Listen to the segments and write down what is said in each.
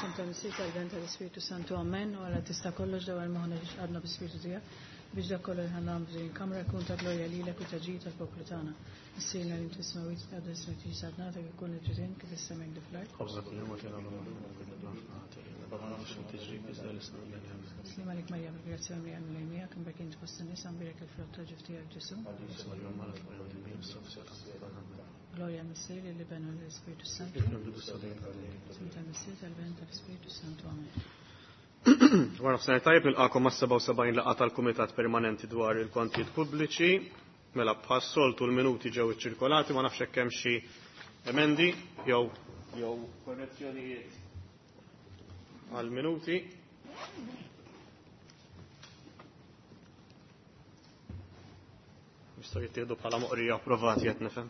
F'isem tal-Missier tal-Iben tal-Ispirtu Santu Amen. U Alla tista' kollox dawwar moħħna biex qalbna bl-Ispirtu tiegħek biex dak kollu li ħa nagħmlu f'din il-kamra jkun ta' glorja lilek u ta' ġid tal-poplu tagħna. Missierna li inti fis-smewwiet titqaddes ismek tiġi saltnatek ikun li trid int kif fis-sema hekk fl-art. Ħobżna kuljum agħtina llum u aħfrilna ħtijietna bħalma nagħmlu xi tiġrib iżda eħlisna mill-ħażin. Slim għalik Marija bil-grazzja mimlija l-Mulej miegħek, imbierek int fost in-nisa, mbierek il-frott tal-ġuf tiegħek Ġesù. Qaddisa Marija Omm Alla tmur għand il-Mulej issa u fis-siegħa ta' mewtna. Amen. Glorja għall-Missier, lill-Iben u lill-Ispirtu s-Santu. Kif kien fil-bidu issa dejjem u għal dejjem. F'isem tal-Missier, tal-Iben u tal-Ispirtu s-Santu. Amen. Wara nofsinhar tajjeb nilqakom mas-77 laqgħa tal-Kumitat Permanenti dwar il-Kontijiet Pubbliċi. Mela bħas-soltu l-minuti ġew iċċirkolati, ma nafx hekk hemm xi emendi jew jew korrezzjonijiet għal-minuti. Jistgħu jittieħdu bħala moqrija approvati qed nifhem.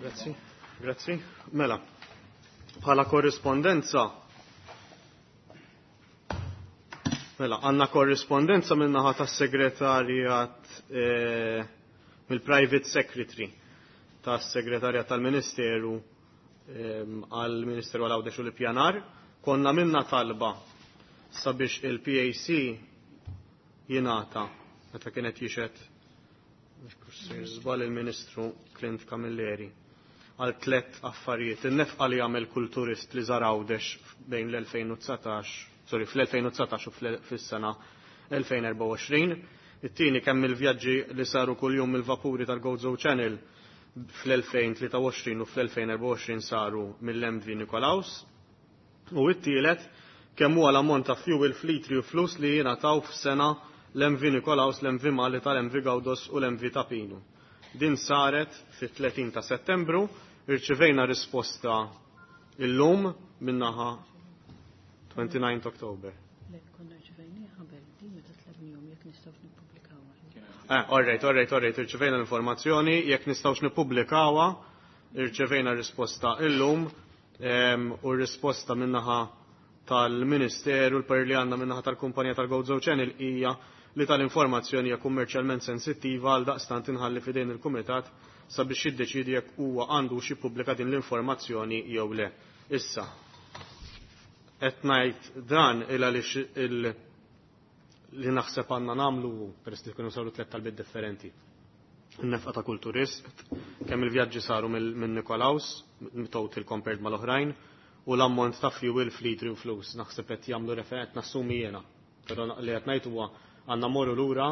Grazzi, grazzi. Mela, bħala korrispondenza Mela, għanna korrispondenza minnaħa tas-segretarjat eh, mill-private secretary tas-segretarjat tal-Ministeru għall-Ministeru għal Għawdex u l-Ippjanar. Konna minna talba sabiex il-PAC jingħata meta kienet jixed żball il-Ministru Clint Camilleri għal tlet affarijiet. In-nefqa li għamel kull turist li żar Għawdex bejn l-2019, sorry, fl-2019 u fis-sena 2024. It-tieni kemm il-vjaġġi li saru kuljum mill-vapuri tal-Gozo Channel fl-2023 u fl-2024 saru mill-MV Nikolaus. U it-tielet, kemm huwa l-ammont ta' fuel f'litri u flus li jingħataw f'sena l-MV Nikolaus, l-MV Malita, l-MV Gawdos u l-MV Tapinu. Din saret fit-30 ta' Settembru, irċivejna risposta illum minnaħa 29 October. Le, konna rċivejnieh qabel din meta tlabnihom jekk nistgħux nippubblikawha. Eh, all right, all right, all right, irċivejna l-informazzjoni, jekk nistgħux nippubblikawha, irċevejna risposta illum u r-risposta minnaħa tal-Ministeru, l-parir li għandna minnaħa tal-kumpanija tal-Gozo Channel hija li tal-informazzjoni hija kummerċjalment sensittiva għal daqstant inħalli fidejn il-Kumitat sabiex jiddeċidi jekk huwa għandu xi jippubblika din l-informazzjoni jew le. Issa, qed ngħid dan il għaliex il li naħseb għandna nagħmlu peress li kienu saru tliet talbiet differenti. In-nefqa ta' kull turist, kemm il-vjaġġi saru minn Nikolaus, total compared mal-oħrajn, u l-ammont ta' fuel f'litri u flus. Naħseb qed jagħmlu referent nassumi jiena. Però li qed ngħid huwa għandna morru lura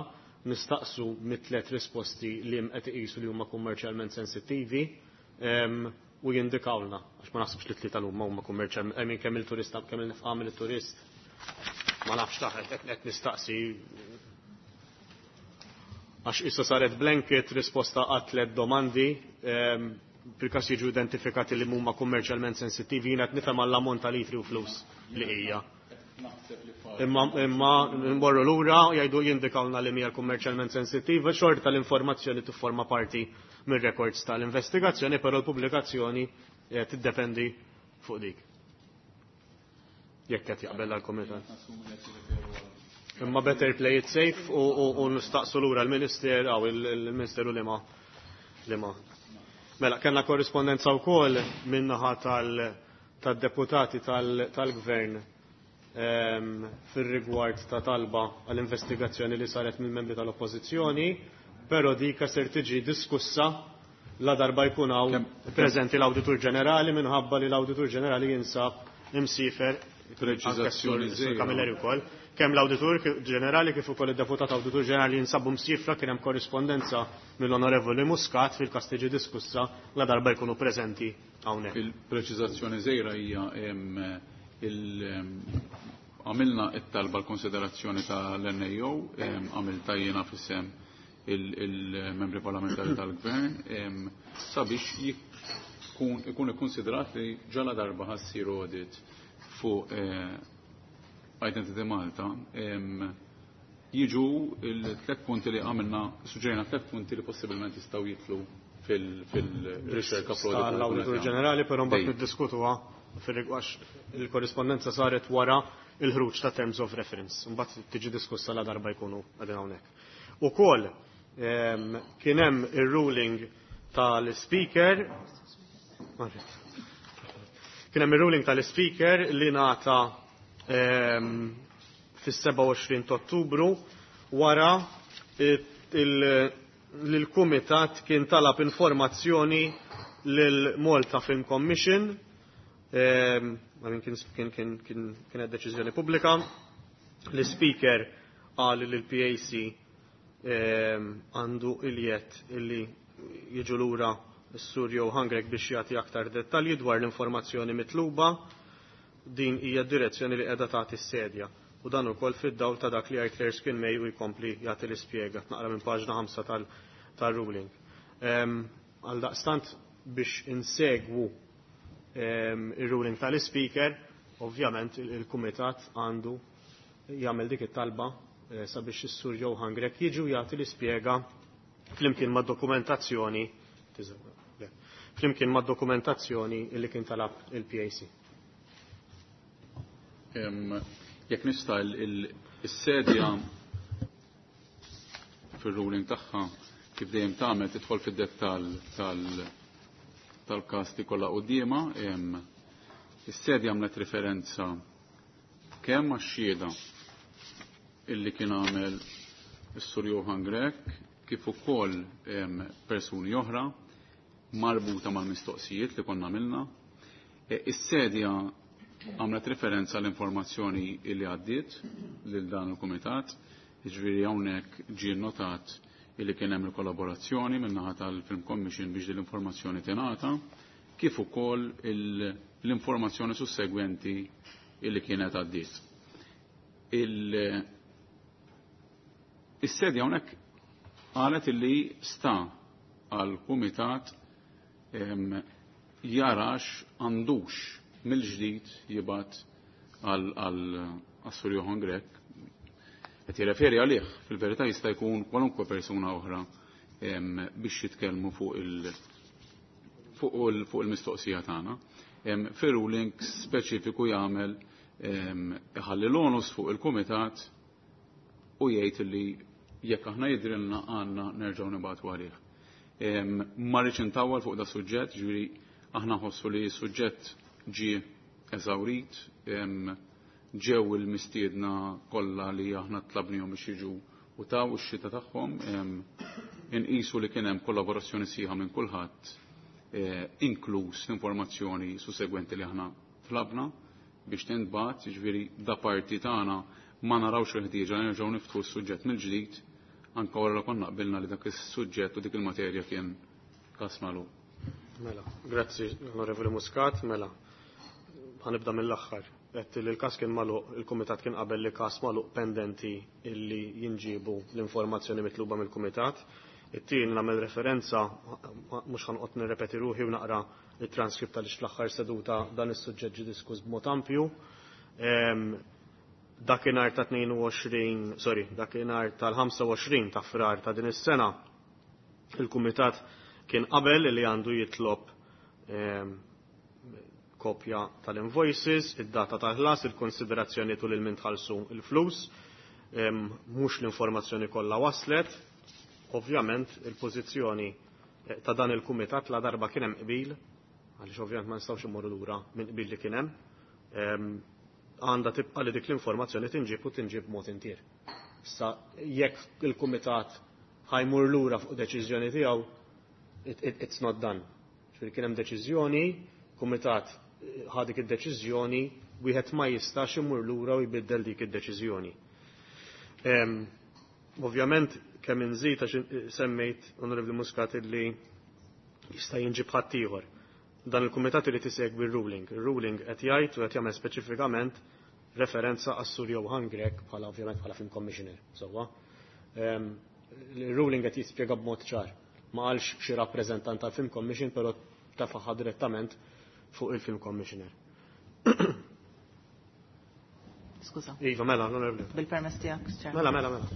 nistaqsu mit-tliet risposti li qed iqisu li huma kummerċjalment sensittivi u jindikawlna għax ma naħsibx li tlieta l-huma huma kummerċjalment, I mean kemm il-turista kemm il-nefqa mill-turist ma nafx taħet qed nistaqsi għax issa saret blanket risposta għat tliet domandi fil-każ jiġu identifikati li huma kummerċjalment sensittivi jiena qed nifhem għall-ammont ta' litri u flus li hija. Imma imma nmorru lura jgħidu jindikawna li hija kummerċjalment sensittiva, xorta l-informazzjoni tifforma parti mir-records tal-investigazzjoni, però l-pubblikazzjoni tiddependi fuq dik. Jekk qed jaqbel għall-kumitat. Imma better play it safe u nistaqsu lura l-Minister għaw il-Ministeru li ma li ma. Mela, kellna korrispondenza wkoll min-naħa tad-deputati tal-Gvern fir-rigward ta' talba għall-investigazzjoni li saret mill-membri tal-Oppożizzjoni, però dika ser tiġi diskussa la darba jkun hawn preżenti l-Awditur Ġenerali minħabba li l-Awditur Ġenerali jinsab imsiefer Preċiżazzjoni żgħira. Camilleri wkoll. Kemm l-Awditur Ġenerali kif ukoll id-Deputat Awditur Ġenerali jinsabu msiefra kien hemm korrispondenza mill-Onorevoli Muscat fil-każ tiġi diskussa la darba jkunu preżenti hawnhekk. Il-preċiżazzjoni żgħira hija għamilna it-talba l-konsiderazzjoni tal-NAO, għamilta jiena f'isem il-membri parlamentari tal-gvern, sabiex ikun ikkonsidrat li ġala darba ħa ssir audit fuq Identity Malta, jiġu il-tlet punti li għamilna, suġġerina tlet punti li possibilment jistgħu jitlu fil-riċerka L-Awditur Ġenerali, però mbagħad niddiskutuha fir-rigward il-korrispondenza saret wara il-ħruġ ta' Terms of Reference. Mbagħad tiġi diskussa la darba jkunu qegħdin hawnhekk. Ukoll kien hemm ir-ruling tal-Speaker Kien hemm ir-ruling tal-Speaker li ngħata fis-27 ta' Ottubru wara li l-Kumitat kien talab informazzjoni lil Malta Film Commission, kienet deċiżjoni pubblika. L-Speaker qal li l-PAC għandu il-jett illi jiġu lura s-Sur Johann Grech biex jagħti aktar dettalji dwar l-informazzjoni mitluba. Din hija d-direzzjoni li qiegħda tagħti s-sedja. U dan ukoll fid-dawl ta' dak li jgħid Erskine May u jkompli jagħti l-ispjega naqra minn paġna 5 tal-ruling. Għaldaqstant biex insegwu ir-ruling tal-Speaker, ovvjament il-Kumitat għandu jagħmel dik it-talba sabiex is-Sur Johann Grech jiġu jagħti l-ispjega flimkien mad-dokumentazzjoni flimkien mad-dokumentazzjoni li kien talab il-PAC. Jekk nista' is-sedja fir-ruling tagħha kif dejjem tagħmel tidħol fid-dettall tal-każ li kollha quddiemha, is-sedja għamlet referenza kemm għax-xhieda illi kien għamel is-Sur Johann Grech kif ukoll persuni oħra marbuta mal-mistoqsijiet li konna għamilna. Is-sedja għamlet referenza l-informazzjoni illi għaddiet lil dan il-kumitat, jiġifieri hawnhekk ġie notat illi kien hemm il-kollaborazzjoni min-naħa tal-Film Commission biex din l-informazzjoni tingħata, kif ukoll l-informazzjoni sussegwenti illi kienet għaddiet. Is-sedja hawnhekk qalet illi sta għal-kumitat jarax għandux mill-ġdid jibgħat għal Sur Johann Grech. Qed jirreferi għalih, fil-verità jista' jkun kwalunkwe persuna oħra biex jitkellmu fuq il-mistoqsija tagħna. Fir-ruling speċifiku jagħmel iħalli l-onus fuq il-kumitat u jgħid li jekk aħna jidrilna għandna nerġgħu nibgħatu għalih. Ma rridx intawwal fuq da suġġett, ġifieri aħna nħossu li suġġett ġie eżawrit, ġew il-mistiedna kollha li aħna tlabnihom biex jiġu u taw ix-xita tagħhom, inqisu li kien hemm kollaborazzjoni sieħa minn kulħadd, inkluż l-informazzjoni sussegwenti li aħna tlabna biex tintbagħat, jiġifieri da parti tagħna ma narawx il-ħtieġa li nerġgħu niftħu s-suġġett mill-ġdid anke wara li konna qbilna li dak is-suġġett u dik il-materja kien każ magħluq. Mela, grazzi Onorevoli Muscat, mela. Ħanibda mill-aħħar. Qed li l-każ kien magħluq, il-kumitat kien qabel li każ magħluq pendenti illi jinġibu l-informazzjoni mitluba mill-kumitat. It-tieni nagħmel referenza, mhux ħanqod nirrepeti ruħi u naqra it-transkript għaliex fl-aħħar seduta dan is-suġġett ġie diskuss b'mod ampju. Dakinhar ta' 22, sorry, dakinhar tal-25 ta' Frar ta' din is-sena, il-kumitat kien qabel li għandu jitlob kopja tal-invoices, id-data tal-ħlas, il-konsiderazzjoni tul il-min tħallsu il-flus, mhux l-informazzjoni kollha waslet. Ovvjament il-pożizzjoni ta' dan il-kumitat la darba kien hemm qbil, għaliex ovvjament ma nistgħux immorru lura minn qbil li kien hemm, għandha tibqa' li dik l-informazzjoni tinġib u tinġib b'mod intier. Issa jekk il-kumitat ħajmur lura fuq deċiżjoni tiegħu, it's not done. Ġifieri kien hemm deċiżjoni, kumitat ħa dik id-deċiżjoni, wieħed ma jistax imur lura u jbiddel dik id-deċiżjoni. Ovvjament kemm inżid għax semmejt Onorevoli Muscat li jista' jinġib ħadd ieħor. Dan il-kumitat irid isegwi r-ruling. Ir-ruling qed jgħid u qed jagħmel speċifikament referenza għas-Sur Johann Grech bħala ovvjament bħala film commissioner. Sewwa. Il-ruling qed jispjega b'mod ċar. Ma qalx xi rappreżentant tal-Film Commission, però tafaħa direttament fuq il-Film Commissioner. Skuża. Iva, mela, onorevoli. Bil-permess tiegħek, Chair. Mela, mela, mela.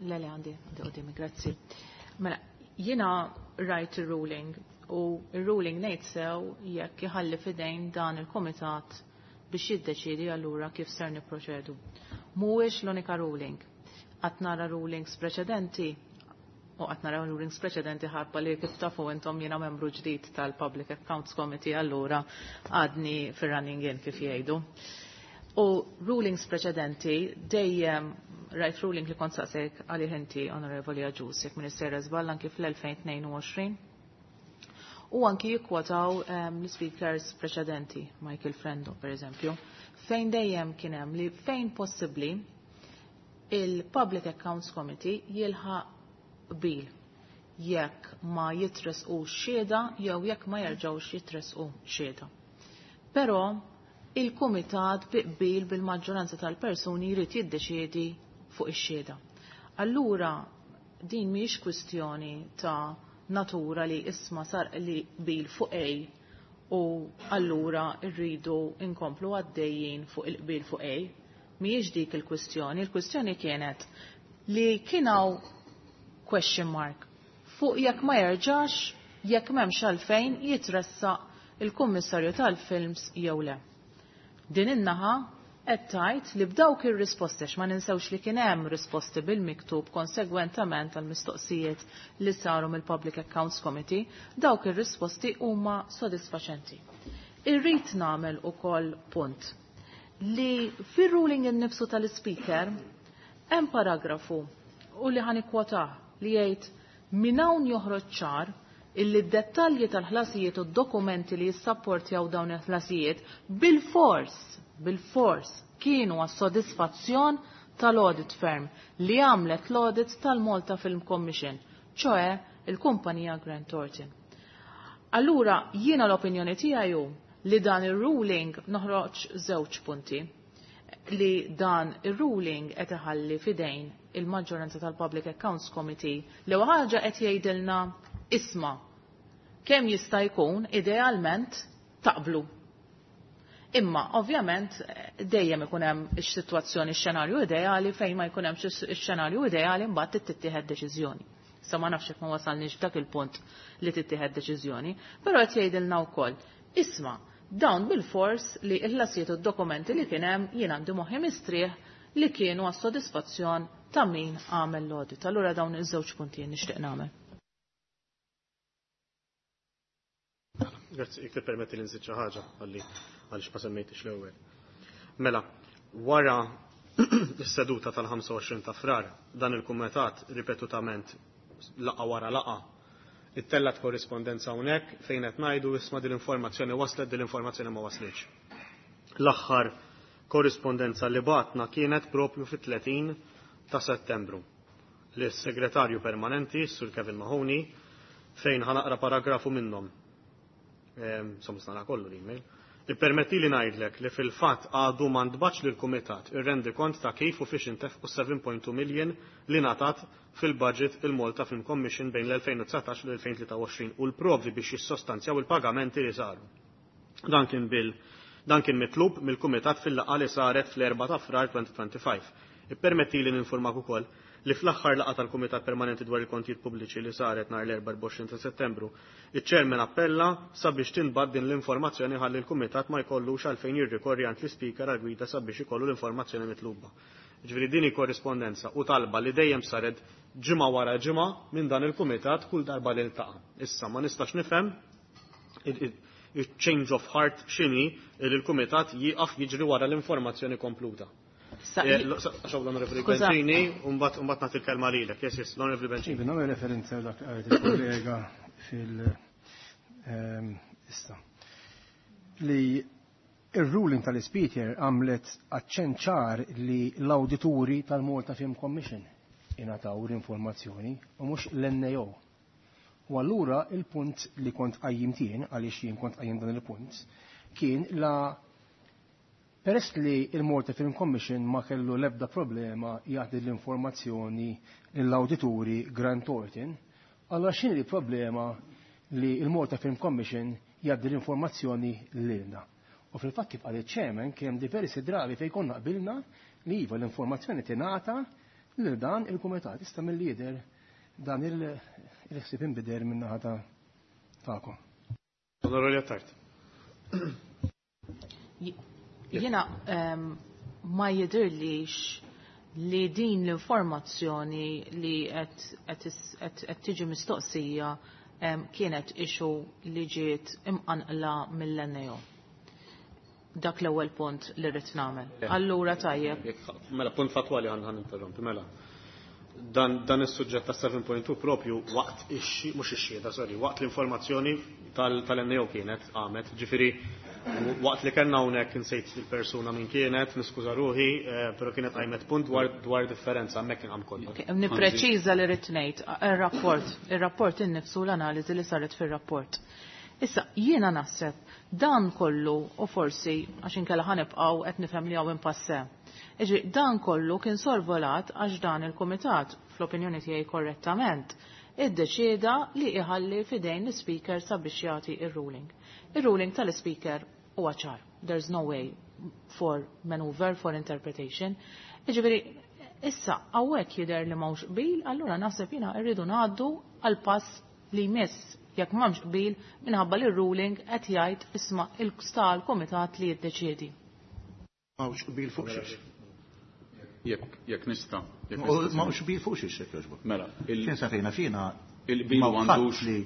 Le, le, għandi quddiemi, grazzi. Mela, jiena rajt il-ruling u il-ruling ngħid sew jekk jħalli fidejn dan il-kumitat biex jiddeċidi allura kif ser nipproċedu. Mhuwiex l-unika ruling. Qatt nara rulings preċedenti. u qatt naraw rulings preċedenti ħabba li kif tafu intom jiena membru ġdid tal-Public Accounts Committee, allura għadni fir-running in kif jgħidu. U rulings preċedenti dejjem rajt ruling li kont saqsejk għalih inti, Onorevoli Agius, jekk Minister żball, anki fl-2022. U anki jikkwotaw l-speakers preċedenti, Michael Frendo per eżempju, fejn dejjem kien hemm li fejn possibbli il-Public Accounts Committee jilħaq qbil jekk ma jitresqu xhieda jew jekk ma jerġgħux jitresqu xhieda. Però il-kumitat bi qbil bil-maġġoranza tal-persuni jrid jiddeċiedi fuq ix-xhieda. Allura din mhijiex kwistjoni ta' natura li isma sar li qbil fuq A u allura rridu inkomplu għaddejjin fuq il-qbil fuq A. Mhijiex dik il-kwistjoni, il-kwistjoni kienet li kienaw question mark fuq jekk ma jerġax, jekk m'hemmx għalfejn jitressaq il-kummissarju tal-films jew le. Din in-naħa qed tgħid li b'dawk ir-risposti, ma ninsewx li kien hemm risposti bil-miktub konsegwentament għal mistoqsijiet li saru mill-Public Accounts Committee, dawk ir-risposti huma sodisfaċenti. Irrid nagħmel ukoll punt li fir-ruling innifsu tal-speaker hemm paragrafu u li ħanikwotah li jgħid: minn hawn joħroġ ċar illi d-dettalji tal-ħlasijiet u d-dokumenti li jissapportjaw dawn il-ħlasijiet bil-fors kienu għas sodisfazzjon tal-audit firm li għamlet l-audit tal-Malta Film Commission, ċoe il-kumpanija Grant Thornton. Allura jiena l-opinjoni tiegħi hu li dan ir-ruling noħroġ żewġ punti, li dan ir-ruling qed iħalli fidejn il-maġġoranza tal-Public Accounts Committee li ħaġa qed jgħidilna isma' kemm jista' jkun idealment taqblu. Imma ovvjament dejjem ikun hemm is-sitwazzjoni, x-xenarju ideali fejn ma jkun hemmx ix-xenarju ideali mbagħad tittieħed deċiżjoni. Sa ma nafx jekk ma wasalniex f'dak il-punt li tittieħed deċiżjoni, però qed jgħidilna wkoll isma' dawn bil-fors li l-ħlasijiet u d-dokumenti li kien hemm jien għandi moħħi mistrieħ li kienu għas sodisfazzjon ta' min għamel l-audit. Allura dawn iż-żewġ punti nixtieq nagħmel. Grazzi, jekk tippermetti li nżid xi ħaġa għalli għaliex ma semmejtix l-ewwel. Mela, wara is-seduta tal-25 ta' Frar, dan il-kumitat ripetutament laqa wara laqa ittellat korrispondenza hawnhekk fejn qed ngħidu isma' din l-informazzjoni waslet, din l-informazzjoni ma waslitx. L-aħħar korrispondenza li batna kienet propju fit-30 ta' Settembru lis-segretarju permanenti, Sur Kevin Mahoney, fejn ħanaqra paragrafu minnhom. Insomma, nara kollu l-email. Ippermetti li ngħidlek li fil-fatt għadu ma ntbax lill-kumitat ir-rendi kont ta' kif u fiex intefqu 7.2 million li ngħatat fil-budget il-Malta Film Commission bejn l-2019 u l-2023 u l-provi biex jissostanzjaw il-pagamenti li saru. Dan kien mitlub mill-kumitat fil-laqgħa li saret fl-4 ta' Frar 2025. Ippermetti li ninformak ukoll li fl-aħħar laqgħa tal-Kumitat Permanenti dwar il-Kontijiet Pubbliċi li saret nhar l-24 ta' Settembru, iċ-Chairman appella sabiex tinbad din l-informazzjoni ħalli l-Kumitat ma jkollux għalfejn jirrikorri għand l-Ispeaker għal gwida sabiex ikollu l-informazzjoni mitluba. Ġifieri din hi korrispondenza u talba li dejjem saret ġimgħa wara ġimgħa minn dan il-Kumitat kull darba li ltaqa'. Issa ma nistax nifhem il-change of heart x'inhi li l-Kumitat jieqaf jiġri wara l-informazzjoni kompluta. Għaxaw l-Onorevoli Bencini, u mbagħad nagħti l-kelma lilek. Yes, l-Onorevoli Bencini. Iva, nagħmel referenza dak qalet il-kollega fil- issa. Li il-ruling tal-Speaker għamlet aċċent ċar li l-awdituri tal-Malta Film Commission ingħataw l-informazzjoni u mhux l-NAO. U allura il-punt li kont qajjim tien, għaliex jien kont qajjim dan il-punt, kien la peress li il-Malta Film Commission ma kellu l-ebda problema jagħti l-informazzjoni lill-awdituri Grant Thornton, allora x'inhi l-problema li il-Malta Film Commission jgħaddi l-informazzjoni lilna? U fil-fatt kif qal iċ-chairman kien hemm diversi drabi fejn konna qbilna li iva l-informazzjoni tingħata lil dan il-kumitat. Issa mill-lider dan il-ħsieb inbidel min-naħa tagħkom. Onorevoli Attard. Jiena ma jidirlix li din l-informazzjoni li qed tiġi mistoqsija kienet issue li ġiet imqanqla mill-NAO. Dak l-ewwel punt li rrid nagħmel. Allura tajjeb. Mela punt fatwali ħan interrompi, mela. Dan is-suġġett ta' 7.2 propju waqt mhux ix-xhieda, sorry, waqt l-informazzjoni tal-NAO kienet għamet, ġifieri waqt li kellna hawnhekk insejt il-persuna min kienet, niskuża ruħi, però kienet qajmet punt dwar differenza hemmhekk kien qam kollox. Nippreċiża li rrid ngħid ir-rapport, ir-rapport innifsu l-analiżi li saret fir-rapport. Issa jiena naħseb dan kollu u forsi għax inkella ħanibqgħu qed nifhem li hawn impasse. Iġri dan kollu kien sorvolat għax dan il-kumitat, fl-opinjoni tiegħi korrettament, iddeċieda li iħalli fidejn l-speaker sabiex jagħti ir-ruling. Ir-ruling tal-speaker huwa ċar. There's no way for maneuver, for interpretation. Iġifieri, issa hawnhekk jidher li m'hawnx qbil, allura naħseb jiena rridu ngħaddu għal pass li jmiss jekk m'hawnx qbil minħabba li r-ruling qed jgħid isma' il-sta l-kumitat li jiddeċiedi. M'hawnx qbil fuq xiex. Jekk nista'. M'hawnx qbil fuq xiex jekk jogħġbok. Mela, Xejn sa fejna fina il-qbil għandux li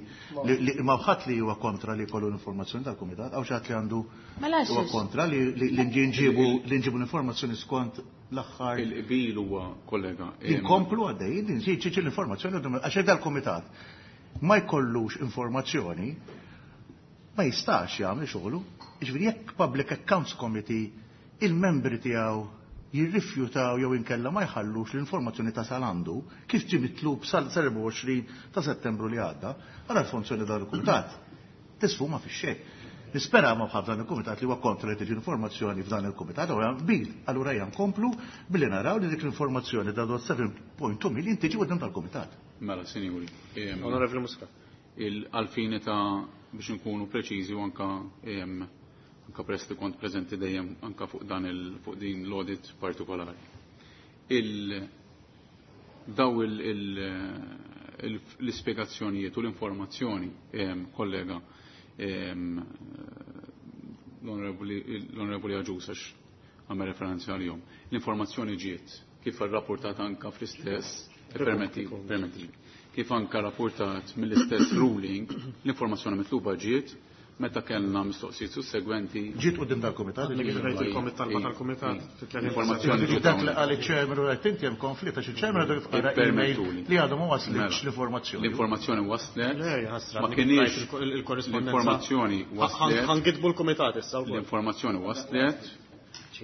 ma ħadd li huwa kontra li jkollu l-informazzjoni tal-kumitat, hawn xi ħadd li għandu Mela huwa kontra li nġibu l-informazzjoni skont l-aħħar. Il-qbil huwa, kollega. Inkomplu għaddejjin, nġibu l-informazzjoni għax dal-kumitat ma jkollux informazzjoni, ma jistax jagħmel xogħlu. Jiġifieri jekk Public Accounts Committee il-membri tiegħu jirrifjutaw jew inkella ma jħallux l-informazzjoni tasal għandu kif ġie mitlub sal-24 ta' Settembru li għadda, għara l-funzjoni dal-kumitat tisfuma fix-xejn. Nispera ma bħal dan il-kumitat li huwa kontra li tiġi informazzjoni f'dan il-kumitat, allura qbil, allura hija nkomplu billi naraw li dik l-informazzjoni ta' 7.2 million tiġi quddiem tal-kumitat. Mela, sinjuri. Onorevoli Muscat. Il-għalfini ta' biex nkunu preċiżi u anka anka prest li kont preżenti dejjem anka fuq dan il fuq din l-audit partikolari. Daw l-ispjegazzjonijiet u l-informazzjoni, kollega, l-Onorevoli Agius għax għamel referenza għalihom. L-informazzjoni ġiet kif rrapportat anka fl-istess, permetti, kif anka rapportat mill-istess ruling, l-informazzjoni mitluba ġiet meta kellna mistoqsijiet sussegwenti. Ġiet quddiem dal-kumitat? Tal-kumitat. L-informazzjoni ġiet Dak li qal iċ-chairman u qed inti hemm konflitt għax iċ-chairman għadu jifqara email li għadu ma waslitx l-informazzjoni. L-informazzjoni waslet. Ma kienx l-informazzjoni waslet. Ħangidbu l-kumitat issa wkoll. L-informazzjoni waslet.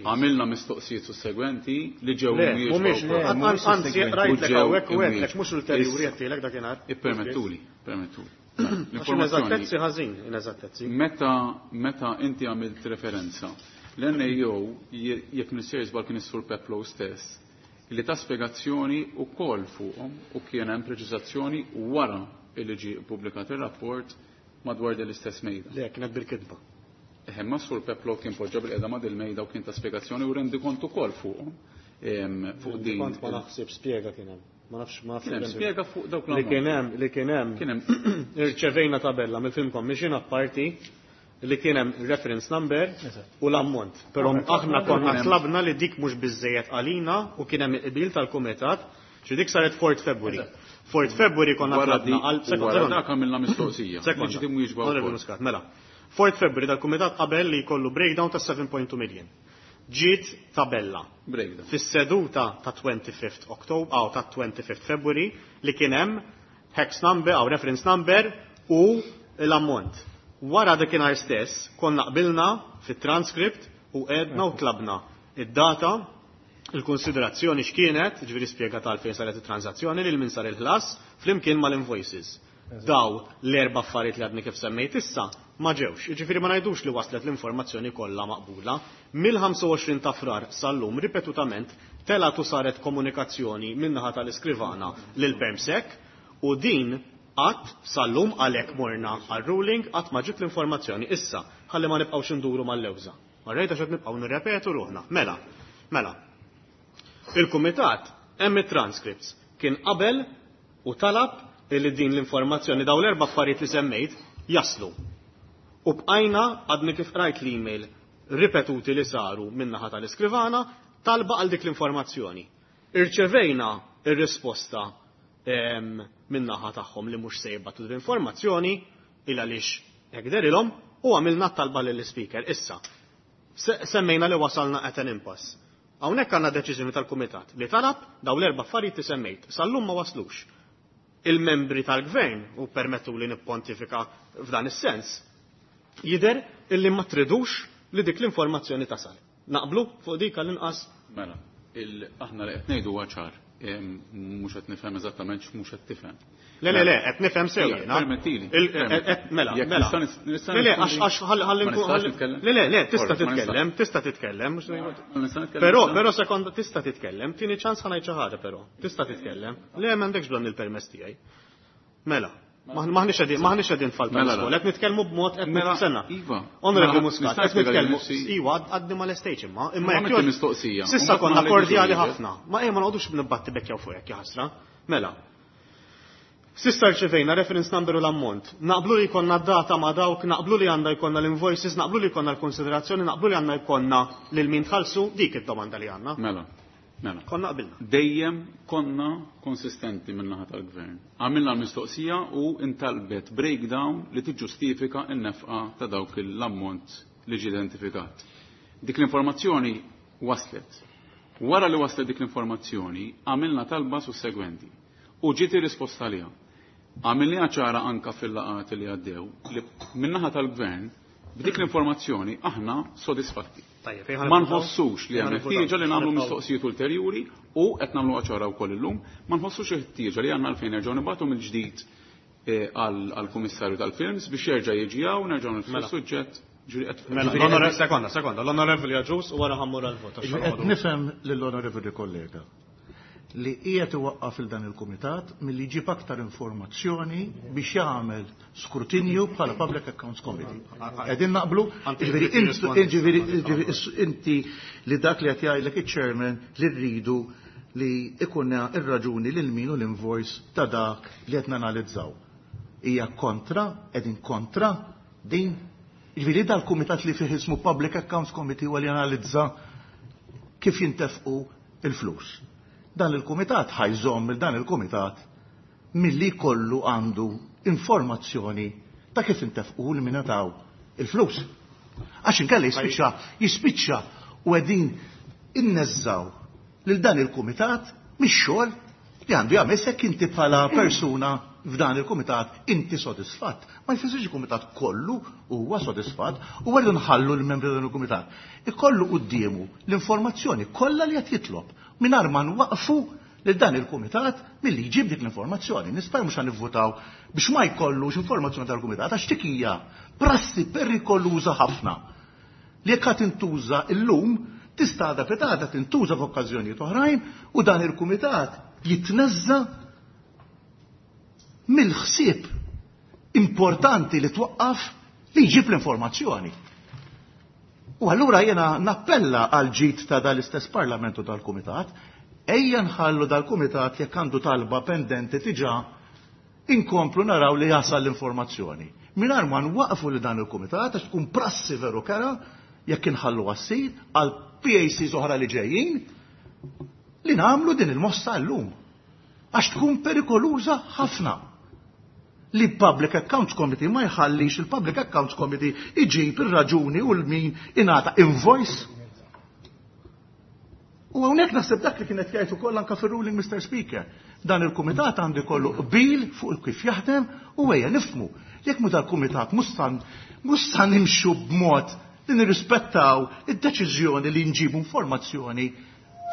Għamilna mistoqsijiet sussegwenti li ġew Mhumiex, anzi rajtlek hawnhekk u għedtlek mhux ulterjuri għedtilek dakinhar. Ippermettuli, permettuli. L-informazzjoni ħażin, ineżattezzi. Meta inti għamilt referenza, l-NAO jekk nisir żball kien is-Sur Peplow stess, li ta' spjegazzjoni wkoll fuqhom u kien hemm preċiżazzjoni wara li ġie ppubblikat ir-rapport madwar din l-istess mejda. Le, kienet bil-kitba. Ma Sur Peplow kien poġġa bil-qeda ma' dil-mejda u kien ta' spjegazzjoni u rendi kont ukoll fuqhom. Fuq din. Kont ma naħseb spjega kien hemm. Ma nafx, ma nafx. Kien hemm spjega fuq dawk Li kien hemm, li kien hemm. Kien hemm. Irċevejna tabella mill-Film Commission apparti li kien hemm reference number u l-ammont. Però aħna konna tlabna li dik mhux biżejjed għalina u kien hemm il-qbil tal-kumitat, xi dik saret 4 February. 4 February konna tlabna għal Wara dak għamilna mistoqsija. Sekonda. Li ġiet imwieġba Onorevoli wkoll. Muscat, mela. 4 February dal-kumitat qabel li jkollu breakdown ta' 7.2 million. Ġiet tabella. Breakdown. Fis-seduta ta' 25 October, aw ta' 25 February li kien hemm hex number aw reference number u l-ammont. Wara dakinhar stess konna qbilna fit-transcript u għedna u tlabna id-data, il-konsiderazzjoni x'kienet, ġifieri spjega tal fejn saret it-transazzjoni lil min sar il-ħlas flimkien mal-invoices. Daw l-erba' affarijiet li għadni kif semmejt issa ma ġewx. Jiġifieri ma ngħidux li waslet l-informazzjoni kollha maqbula. Mill-25 ta' Frar sal-lum ripetutament telgħet u saret komunikazzjoni min-naħa tal-iskrivana lil Permsec u din qatt sal-lum għalhekk morna għal-ruling qatt ma ġiet l-informazzjoni issa ħalli ma nibqgħux induru mal-lewża. Marrejt għax qed nibqgħu nirrepetu ruħna. Mela, mela. Il-kumitat hemm it-transcripts kien qabel u talab li din l-informazzjoni daw l-erba' affarijiet li semmejt jaslu. U bqajna għadni kif qrajt l-email ripetuti li saru min-naħa tal-iskrivana talba għal dik l-informazzjoni. Irċevejna ir-risposta min-naħa tagħhom li mhux se jibgħatu l-informazzjoni il għaliex hekk derilhom u għamilna talba lill-Ispeaker. Issa, semmejna li wasalna at an impasse. Hawnhekk għandna deċiżjoni tal-Kumitat li talab daw l-erba' affarijiet li semmejt. Sal-lum ma waslux. Il-membri tal-Gvern, u permettu li nippontifika f'dan is-sens, jidher illi ma tridux li dik l-informazzjoni tasal. Naqblu fuq dik għall-inqas? Mela, aħna li qed ngħidu huwa ċar. Mhux qed nifhem eżattament x'mhux qed tifhem. Le, le, le, qed nifhem sew jiena. Permettili. Mela, mela. Le, le, għax ħalli nkun. Le, le, le, tista' titkellem, tista' titkellem. Però, però sekonda tista' titkellem, tieni ċans ħa ngħid xi ħaġa però. Tista' titkellem. Le, m'għandekx bżonn il-permess tiegħi. Mela, maħniex qegħdin maħniex qegħdin falta Mela, l-iskola, qed nitkellmu b'mod qed Mela, sena. Iva. Onorevoli Mela, Muscat, nista' qed nitkellmu. nispjega lil Iva, għadni ma l-estate imma, imma Ma jekk għamilt mistoqsija. Sissa U mbagħad konna ma kordjali ħallejtux ħafna. Ma ejja ma noqogħdux nibbatti bekkjaw fuq hekk ħasra. Mela. Sissa rċevejna reference number u l-ammont. Naqblu li jkollna data ma' dawk, naqblu li għandha jkollna l-invoices, naqblu li jkollna l-konsiderazzjoni, naqblu li għandna jkollna lil min tħallsu, dik id-domanda li għandna. Mela, mela. Konna qbilna. Dejjem konna konsistenti min-naħa tal-gvern. Għamilna l-mistoqsija u intalbet breakdown li tiġġustifika n-nefqa ta' dawk l-ammont li ġie identifikat. Dik l-informazzjoni waslet. Wara li waslet dik l-informazzjoni, għamilna talba sussegwenti u ġiet ir-risposta għaliha. Għamilniha ċara anka fil-laqgħat li għaddew li min-naħa tal-gvern b'dik l-informazzjoni aħna sodisfatti. Tajjeb, Ma nħossux li hemm ħtieġa li nagħmlu mistoqsijiet ulterjuri u qed nagħmlu ċara wkoll illum, ma nħossux il-ħtieġa li għandna għalfejn nerġgħu nibgħatu mill-ġdid għall-Kummissarju tal-Films biex jerġa' jiġi hawn nerġgħu nifsu Mela. suġġett. Ġifieri qed- Mela, ġifieri l-onore- sekonda, sekonda, l-onorevoli Agius u wara ħammur għal-vot. għax Qed ħanoqogħdu. nifhem lill-onorevoli kollega li qiegħed iwaqqaf il dan il-kumitat milli jġib aktar informazzjoni biex jagħmel skrutinju bħala Public Accounts Committee. Qegħdin naqblu, Anti jiġifieri jrid jirrispondi. inti li dak li qed jgħidlek iċ-chairman li rridu li ikunna ir-raġuni lil min u l-invoice ta' dak li qed nanalizzaw. Hija kontra, qegħdin kontra din. Jiġifieri dal-kumitat li fih ismu Public Accounts Committee huwa li analizza kif jintefqu il-flus. Dan il-kumitat ħajżomm il dan il-kumitat milli kollu għandu informazzjoni ta' kif intefqu li min taw il-flus. Għax inkella jispiċċa jispiċċa u qegħdin inneżżaw lil dan il-kumitat mix-xogħol li għandu jagħmel jekk inti bħala persuna f'dan il-kumitat inti sodisfatt. Ma jfissirx il-kumitat kollu huwa sodisfatt u għallu nħallu l-membri dan il-kumitat. Ikollu quddiemu l-informazzjoni kollha li qed jitlob mingħajr ma nwaqfu lil dan il-kumitat milli jġib dik l-informazzjoni. Nispera mhux nivvutaw biex ma jkollux informazzjoni tal-kumitat għax dik hija prassi perikoluża ħafna li jekk qed tintuża illum tista' għada pitgħada tintuża f'okkażjonijiet oħrajn u dan il-kumitat jitneżża mill-ħsieb importanti li twaqqaf li jġib l-informazzjoni. U allura jena nappella għal ġid ta' dal-istess parlamentu tal-kumitat, ejja nħallu dal-kumitat jekk għandu talba pendenti diġà inkomplu naraw li jasal l-informazzjoni. Mingħajr ma nwaqfu li dan il-kumitat għax tkun prassi veru kera jekk inħallu għassir għal PACs oħra li ġejjin li nagħmlu din il-mossa llum. Għax tkun perikoluża ħafna li Public Accounts Committee ma jħallix il-Public Accounts Committee iġib ir-raġuni u l-min ingħata invoice. U hawnhekk naħseb dak li kienet jgħid ukoll anke fir-ruling Mr. Speaker. Dan il-kumitat għandu jkollu qbil fuq kif jaħdem u ejja nifhmu. Jekk mu dal-kumitat mhux sa nimxu b'mod li nirrispettaw id-deċiżjoni li nġibu informazzjoni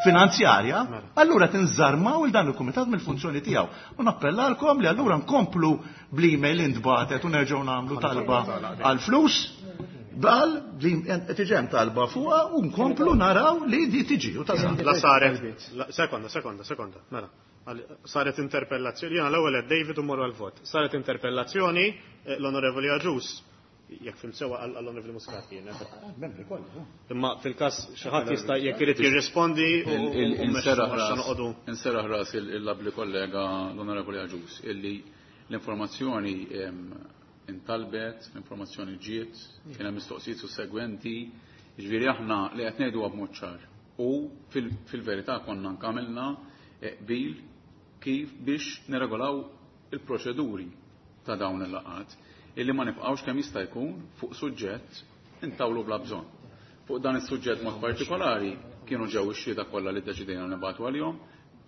finanzjarja, allura tinżarmaw il dan il-kumitat mill-funzjoni tiegħu. U nappellalkom li allura nkomplu bl-email intbatet u nerġgħu nagħmlu talba għal flus bal li tiġem talba fuqha u nkomplu naraw li di tiġi u tasal. La saret, sekonda, sekonda, sekonda, mela. Saret interpellazzjoni, jena l-ewwel qed David u morru għal-vot. Saret interpellazzjoni, l-Onorevoli Agius, jekk fim sewa għall-Onorevoli Muscat kienet. Membri kollha. Imma fil-każ xi ħadd jista' jekk irid jirrispondi u mhux noqogħdu. Inserraħ ras il-labli kollega l-Onorevoli Agius illi l-informazzjoni intalbet, l-informazzjoni ġiet, kien hemm mistoqsijiet sussegwenti, jiġifieri aħna li qed ngħidu b'mod ċar. U fil-verità konna nkamilna qbil kif biex nirregolaw il-proċeduri ta' dawn il-laqat illi ma nibqgħux kemm jista' jkun fuq suġġett intawlu bla bżonn. Fuq dan is-suġġett mod partikolari kienu ġew ix-xhieda kollha li ddeċidejna nibgħatu għalihom,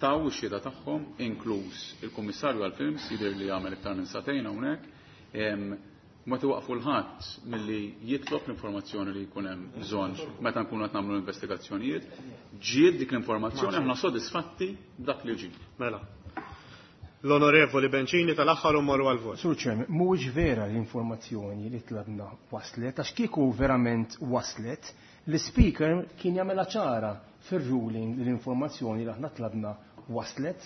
taw ix-xhieda tagħhom inkluż il-Kummissarju għall-Films jidher li jagħmel iktar minn sagħtejn hawnhekk. Ma tiwaqfu l-ħadd milli jitlob l-informazzjoni li jkun hemm bżonn meta nkunu qed nagħmlu investigazzjonijiet. Ġiet dik l-informazzjoni aħna sodisfatti b'dak li ġie. Mela. L-Onorevoli Bencini tal-aħħar u mmorru għall-vot. Sur Chairman, mhuwiex vera l-informazzjoni li tlabna waslet, għax kieku verament waslet, l-Speaker kien jagħmilha ċara fir-ruling li l-informazzjoni li aħna tlabna waslet.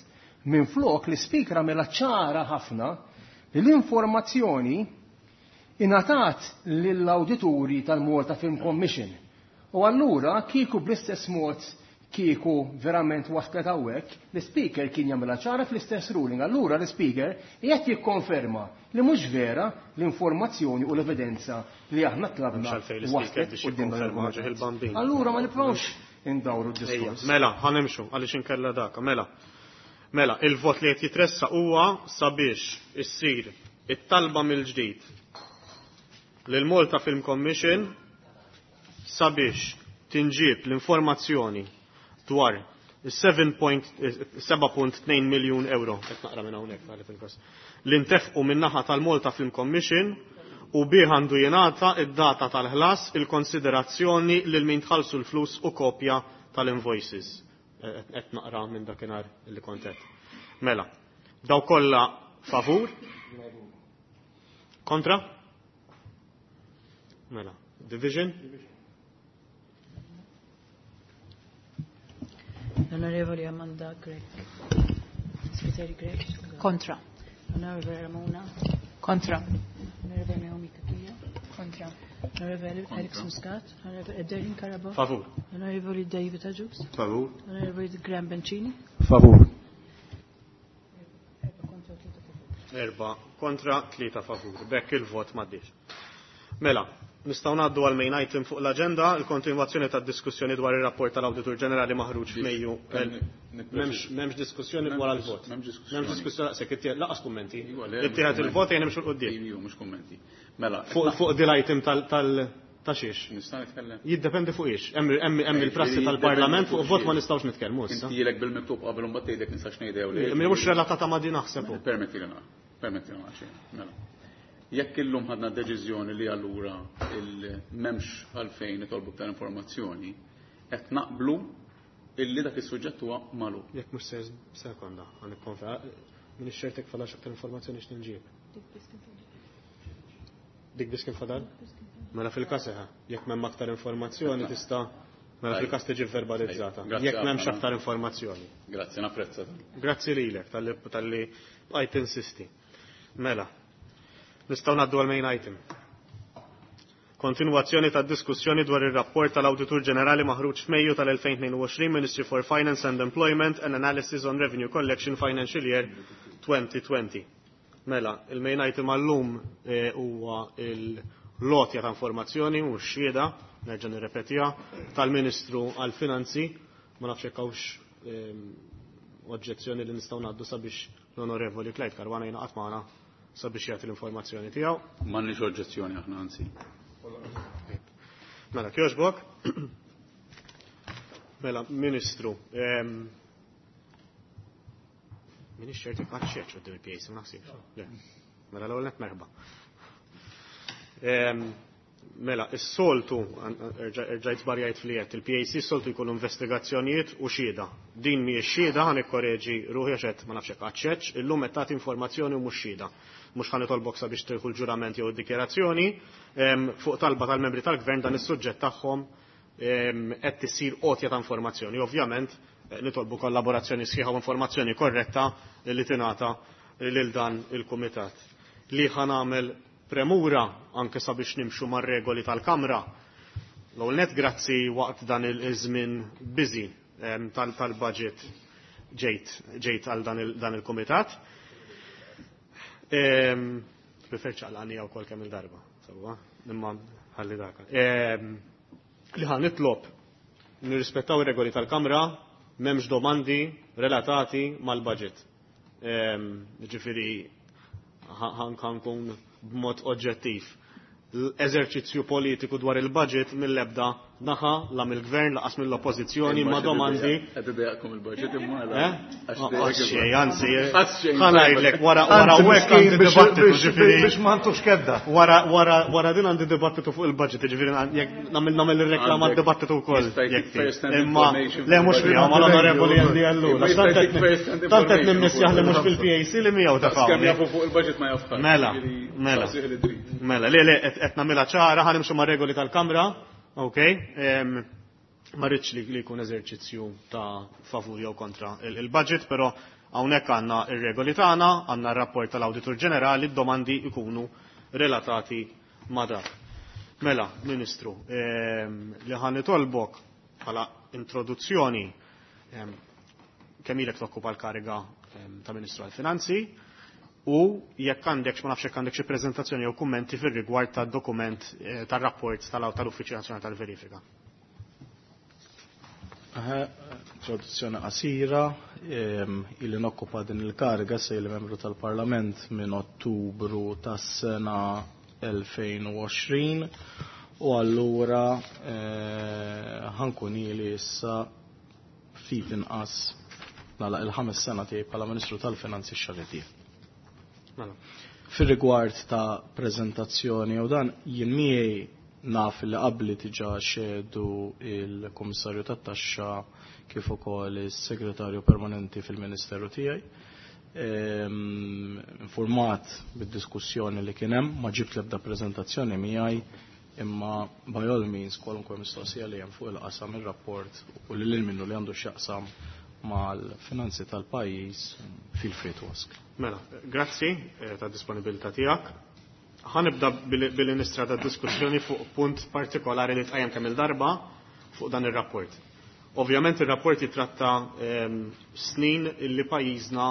Minflok l-Speaker għamilha ċara ħafna li l-informazzjoni ingħatat lill-awdituri tal-Malta Film Commission. U allura kieku bl-istess mod kieku verament waslet hawnhekk, l-Speaker kien jagħmilha ċara fl-istess ruling. Allura l-Speaker qiegħed jikkonferma li mhux vera l-informazzjoni u l-evidenza li aħna tlabna waslet quddiem dan il-kumitat. Allura ma nippruvawx indawru d-diskors. Mela, ħa nimxu għaliex inkella dak. Mela. Mela, il-vot li qed jitressaq huwa sabiex issir it-talba mill-ġdid lil Malta Film Commission sabiex tinġieb l-informazzjoni dwar is-7.2 miljun euro, qed naqra minn hawnhekk tagħlef il-każ, li ntefqu min-naħa tal-Malta Film Commission u bih għandu jingħata id-data tal-ħlas, il-konsiderazzjoni lil min tħallsu l-flus u kopja tal-invoices. Qed naqra minn dakinhar li kont qed. Mela, daw kollha favur? Kontra? Mela, division? L-Onorevoli Amanda Grech. Spiteri Grech. Kontra. Onorevoli Ramona. Kontra. Onorevoli Naomi Cachia. Kontra. Onorevoli Alex Muscat. Onorevoli Ederlin Carabott. Favur. Onorevoli David Agius. Favur. Onorevoli Graham Bencini. Favur. 4 kontra 3 favur. Bekk il-vot m'għaddiex. Mela, nistgħu ngħaddu għal main item fuq l-aġenda, il-kontinwazzjoni tad-diskussjoni dwar ir-rapport tal-Awditur Ġenerali maħruġ f'Mejju. M'hemmx diskussjoni wara l-vot. M'hemmx diskussjoni daqshekk ittieħed laqas kummenti. Ittieħed il-vot ejja nimxu 'l quddiem. Iju, mhux kummenti. Mela, Fuq dil item tal ta' xiex? Nista' nitkellem? Jiddependi fuq ix. Hemm il-prassi tal-Parlament fuq vot ma nistgħux nitkellmu issa. Inti ilek bil-miktub qabel u mbagħad tgħidlek nistax ngħid jew le. Mhux relatata ma' din naħseb hu. Permetti li naqra. Permetti li naqra. Mela. Jekk illum ħadna deċiżjoni li allura il-memx għalfejn nitolbu aktar informazzjoni, qed naqblu illi dak is-suġġett huwa magħluq. Jekk mhux se sekonda, ħa nikkonferma. Min ix-xertek fadax aktar informazzjoni x'tinġieb. Dik biss kien fadal? Mela fil-każ eħe, jekk m'hemm aktar informazzjoni tista' mela fil-każ tiġi verbalizzata. Jekk m'hemmx aktar informazzjoni. Grazzi, napprezza. Grazzi lilek talli bqajt tinsisti. Mela, nistgħu ngħaddu għal main item. Kontinwazzjoni tad-diskussjoni dwar ir-rapport tal-Awditur Ġenerali maħruġ f'Mejju tal-2022 Ministry for Finance and Employment and Analysis on Revenue Collection Financial Year 2020. Mela, il-main item għallum huwa il-lotja ta' informazzjoni u x-xhieda, nerġa' nirrepetiha, tal-Ministru għall-Finanzi, ma nafx jekk hawnx oġġezzjoni li nistgħu ngħaddu sabiex l-Onorevoli Clyde Caruana jingħaqad magħna sabiex jagħti l-informazzjoni tiegħu. M'għandniex oġġezzjoni aħna anzi. Mela, kjoġbok. Mela, Ministru, minix ċert jekk qatt xeċ quddiem il-PAC, ma naħsibx. Le. Mela l-ewwel nett merħba. Mela, is-soltu, erġajt żbarjajt fl-jett, il-PAC s-soltu jkunu investigazzjonijiet u xhieda. Din mhijiex xhieda, ħa nikkoreġi ruħi għax qed ma nafx jekk qatt xeċ, illum qed tagħti informazzjoni u mhux xhieda. Mhux ħa nitolbok sabiex tieħu l-ġurament jew id-dikjarazzjoni, fuq talba tal-membri tal-gvern dan is-suġġett tagħhom qed issir għotja ta' informazzjoni. Ovvjament nitolbu kollaborazzjoni sħiħa u informazzjoni korretta li tingħata lil dan il-kumitat. Li ħa nagħmel premura anke sabiex nimxu mar-regoli tal-Kamra. L-ewwel nett grazzi waqt dan il-żmien busy tal-budget ġejt għal dan il-kumitat. Prefer ċaqlani jew kol kemm il-darba, sewwa, imma ħalli dak. Li ħa nitlob nirrispettaw ir-regoli tal-Kamra, m'hemmx domandi relatati mal-budget. Ġifieri ħankun b'mod oġġettiv. L-eżerċizzju politiku dwar il-budget mill-ebda naħa la mill-gvern laqas mill-oppożizzjoni ma domandi. Qed idejjaqkom il-budget imma Xej, anzi, ħa ngħidlek wara wara hekk għandi dibattitu ġifieri. Biex ma ntux kedda. Wara wara wara din għandi dibattitu fuq il-budget, ġifieri jekk nagħmel nagħmel ir-reklama dibattitu wkoll. Imma le mhux miegħu mal-onorevoli Andy Ellul. Tant qed nimmissjaħ li mhux fil-PAC li miegħu ta' Kemm jafu fuq il-budget ma jaf Mela, mela. Mela, le le qed nagħmilha ċara, ħa nimxu mar-regoli tal-Kamra, ok? Ma rridx li jkun eżerċizzju ta' favur jew kontra il-budget, però hawnhekk għandna ir-regoli tagħna, għandna r-rapport tal-Awditur Ġenerali, d-domandi jkunu relatati ma' dak. Mela, Ministru, li ħa nitolbok bħala introduzzjoni, kemm ilek tokkupa l-kariga ta' Ministru għall-Finanzi u jekk għandek, ma nafx jekk għandek xi preżentazzjoni jew kummenti fir-rigward tad-dokument tar-rapport tal-Uffiċċju Nazzjonali tal-Verifika. Introduzzjoni qasira, illi nokkupa din il-kariga se ili membru tal-Parlament minn Ottubru tas-sena 2020 u allura ħankun ili issa ftit inqas nagħlaq il-5 sena tiegħi bħala Ministru tal-Finanzi x-xahar li dieħel. Fir-rigward ta' preżentazzjoni u dan jien miegħi naf li qabli diġà xehdu il-Kummissarju tat-Taxxa kif ukoll is-Segretarju Permanenti fil-Ministeru tiegħi. Informat bid-diskussjoni li kien hemm, ma ġibt l-ebda preżentazzjoni miegħi, imma by all means kwalunkwe mistoqsija li hemm fuq il-qasam ir-rapport u lil minnu li għandu x'jaqsam mal-finanzi tal-pajjiż feel free to ask. Mela, grazzi ta' disponibilità tiegħek. Ħa nibda billi nistrada diskussjoni fuq punt partikolari li tqajjem kemm il-darba fuq dan ir-rapport. Ovvjament ir-rapport jitratta snin illi pajjiżna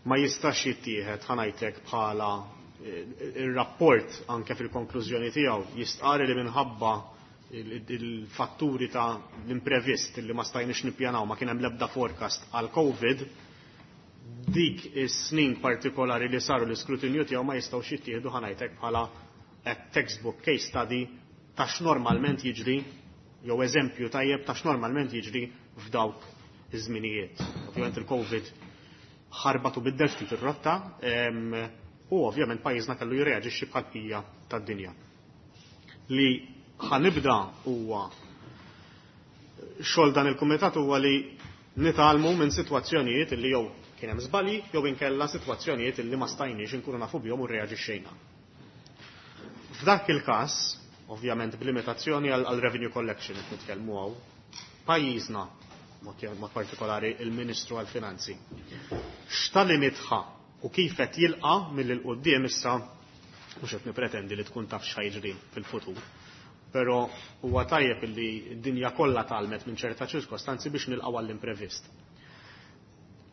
ma jistax jittieħed ħa ngħidlek bħala ir-rapport anke fil-konklużjoni tiegħu jistqar li minħabba il-fatturi ta' l-imprevist li ma stajniex nippjanaw, ma kien hemm l-ebda forecast għal COVID, dik is-snin partikolari li saru l-iskrutinju tiegħu ma jistgħux jittieħdu ħa ngħidlek bħala textbook case study ta' x'normalment jiġri jew eżempju tajjeb ta' x'normalment jiġri f'dawk iż-żminijiet. Ovvjament il-COVID ħarbat u biddel ftit ir-rotta u ovvjament pajjiżna kellu jirreaġixxi bħal bqija tad-dinja. Li ħa nibda huwa xogħol dan il-kumitat huwa li nitgħallmu minn sitwazzjonijiet li jew kien hemm żbalji jew inkella sitwazzjonijiet li ma stajniex inkunu nafu bihom u rreaġixxejna. F'dak il-każ, ovvjament b'limitazzjoni għal revenue collection qed nitkellmu hawn, pajjiżna, mod partikolari il-Ministru għall-Finanzi, x'tagħlimiet ħa u kif qed jilqa' mill quddiem issa mhux qed nipretendi li tkun taf x'ħa jiġri fil-futur. Però huwa tajjeb li d-dinja kollha tgħallmet minn ċerta ċirkostanzi biex nilqgħu għall-imprevist.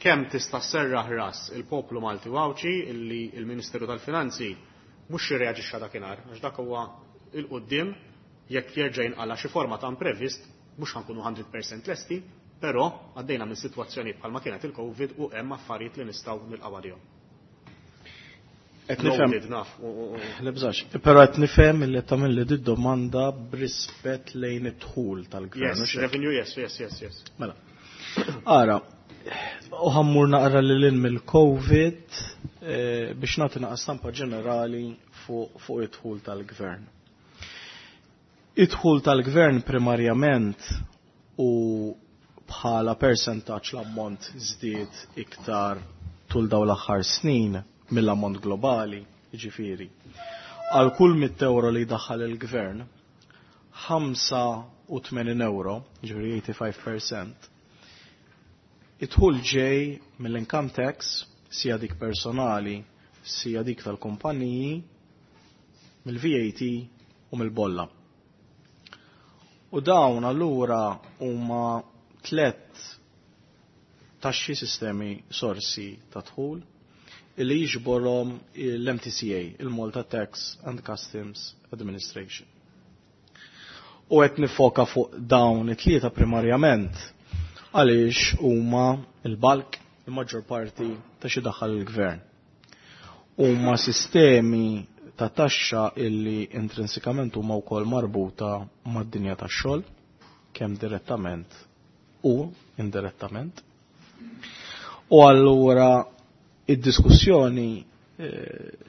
Kemm tista' sserraħ ras il-poplu Malti u Għawdxi illi il-Ministeru tal-Finanzi mhux jirreaġixxa dakinhar, għax dak huwa il-quddiem jekk jerġa' jinqala xi forma ta' imprevist mhux ħa nkunu 100% lesti, però għaddejna minn sitwazzjonijiet bħalma kienet il-COVID u hemm affarijiet li nistgħu nilqgħu għalihom. Qed nifhem. Loaded, naf. Le bżax, però qed nifhem li tagħmel li di domanda b'rispett lejn id-dħul tal-gvern. Yes, mhux hekk? revenue, yes. Mela. Ara, u ħa mmur naqra lil hinn mill-COVID biex nagħti naqra stampa ġenerali fuq id-dħul tal-gvern. Id-dħul tal-gvern primarjament u bħala percentaġġ l-ammont żdied iktar tul dawn l-aħħar snin mill-ammont globali, jiġifieri. Għal kull 100 euro li jdaħħal il-gvern, 85 euro, jiġifieri 85%, id-dħul ġej mill-income tax, sija dik personali, sija dik tal-kumpaniji, mill-VAT u mill-bolla. U dawn allura huma tlet taxxi sistemi sorsi ta' dħul illi jiġborhom l-MTCA, il-Malta Tax and Customs Administration. U qed nifoka fuq dawn it-tlieta primarjament għaliex huma il-bulk, il-maġġor parti ta' xi daħal il-gvern. Huma sistemi ta' taxxa illi intrinsikament huma wkoll marbuta mad-dinja tax-xogħol, kemm direttament u indirettament. U allura id-diskussjoni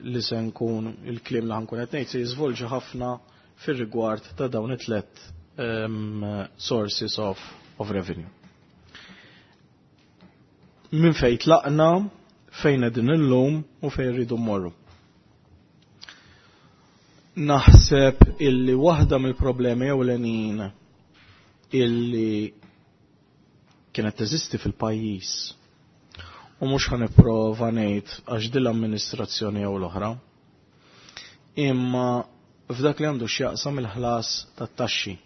li se nkun il-kliem li ħankun qed ngħid se jiżvolġi ħafna fir-rigward ta' dawn it-tlet sources of revenue. Min fejn tlaqna, fejn qegħdin illum u fejn rridu mmorru. Naħseb illi waħda mill-problemi ewlenin illi kienet teżisti fil-pajjiż u mhux ħa nipprova ngħid għax din l-amministrazzjoni jew l-oħra, imma f'dak li għandu x'jaqsam il-ħlas tat-taxxi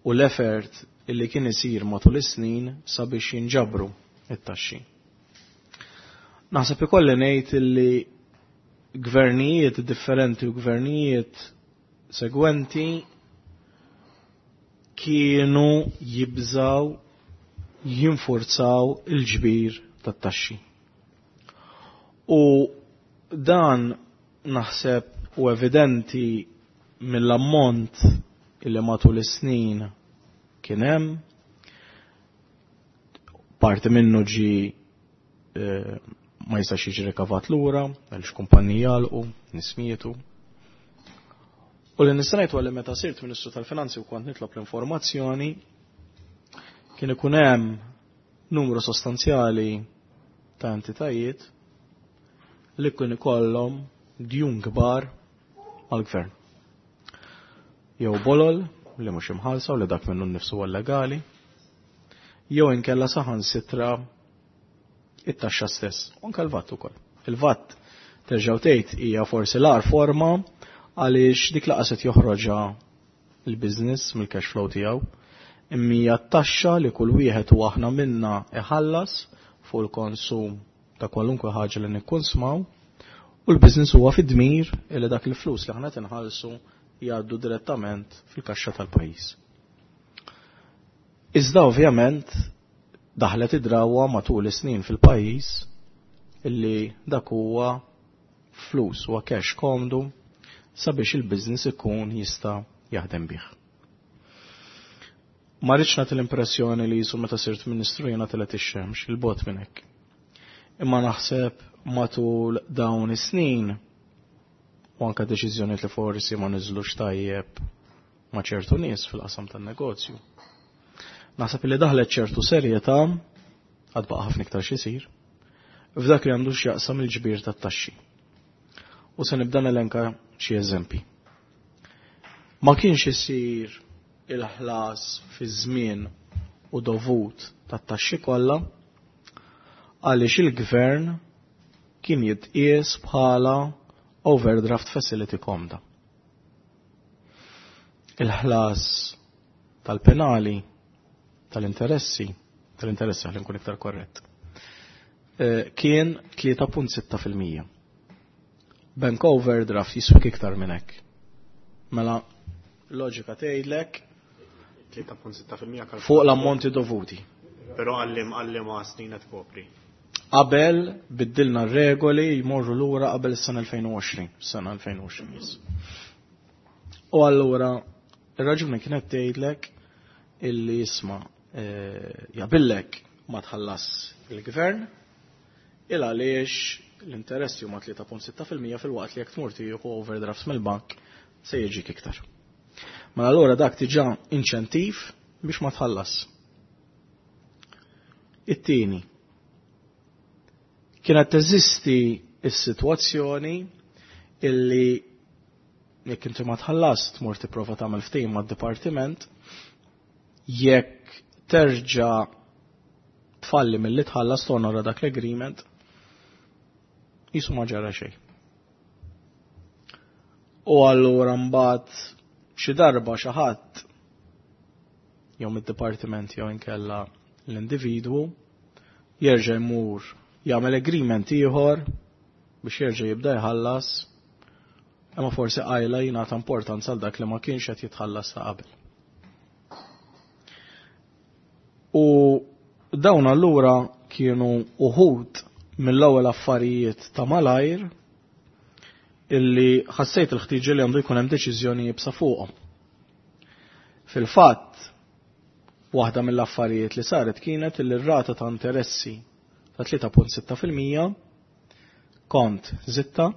u l-effort illi kien isir matul is-snin sabiex jinġabru it-taxxi. Naħseb ikolli ngħid illi gvernijiet differenti u gvernijiet segwenti kienu jibżaw jinfurzaw il-ġbir tat-taxxi. U dan naħseb u evidenti mill-ammont illi matul is-snin kien hemm, parti minnu ġi ma jistax jiġi rikavat lura, għaliex kumpaniji għalqu, nies mietu. U li nista' ngħid li meta sirt Ministru tal-Finanzi u kont nitlob l-informazzjoni, kien ikun hemm numru sostanzjali ta' entitajiet li kien ikollhom djun kbar mal-gvern. Jew bolol li mhux imħallsa u li dak minnu nnifsu huwa legali, jew inkella saħansitra it-taxxa stess, u anke l-VAT ukoll. Il-VAT terġgħu tgħid hija forsi l-agħar forma għaliex dik laqas qed joħroġha il-business mill-cash flow tiegħu, imma hija t-taxxa li kull wieħed u aħna minna iħallas fuq il-konsum ta' kwalunkwe ħaġa li nikkunsmaw, u l-business huwa fid-dmir li dak il-flus li aħna tinħallsu jgħaddu direttament fil-kaxxa tal-pajjiż. Iżda ovvjament daħlet id-drawa matul is-snin fil-pajjiż illi dak huwa flus, huwa cash komdu sabiex il-business ikun jista' jaħdem bih. Ma rridx nagħti l-impressjoni li jisu meta sirt ministru jiena telgħet ix-xemx, il-bogħod minn hekk. Imma naħseb matul dawn is-snin u anke deċiżjonijiet li forsi ma niżlux tajjeb ma' ċertu nies fil-qasam tan-negozju. Naħseb li daħlet ċertu serjetà, għad baqa' ħafna iktar x'isir, f'dak li għandu x'jaqsam il-ġbir tat-taxxi. U se nibda nelenka xi eżempi. Ma kienx isir il-ħlas fi żmien u dovut tat-taxxi kollha għaliex il-gvern kien jitqies bħala overdraft facility komda. Il-ħlas tal-penali, tal-interessi, tal-interessi ħalli nkun iktar korrett, kien 3.6%. Bank overdraft jiswik iktar minn hekk. Mela, loġika tgħidlek 3.6% fuq l-ammonti dovuti. Però għallim ma' snin qed kopri. Qabel biddilna r-regoli jmorru lura qabel is-sena 2020, sena 2020 yes. U allura ir-raġuni kienet tgħidlek illi jisma' jabillek ma tħallas il-gvern il għaliex l-interessi huma 3.6% fil-waqt li jekk tmur tieħu overdrafts mill-bank se jiġik iktar. Mela allura dak diġà inċentiv biex ma tħallas. It-tieni, kienet teżisti s-sitwazzjoni illi jekk inti ma tħallas tmur tipprova tagħmel ftehim mad-dipartiment, jekk terġa' tfalli milli tħallas tonora dak l-agreement, jisu ma ġara xejn. U allura mbagħad xi darba xi ħadd jew mid-dipartiment jew inkella l-individwu jerġa' jmur jagħmel agreement ieħor biex jerġa' jibda jħallas, imma forsi qajla jingħata importanza għal dak li ma kienx qed jitħallas ta' qabel. U dawn allura kienu uħud mill-ewwel affarijiet ta' malajr illi ħassejt il-ħtiġa li għandu jkun hemm deċiżjoni jibsa fuqhom. Fil-fatt, waħda mill-affarijiet li saret kienet li r-rata ta' interessi ta' 3.6% kont zitta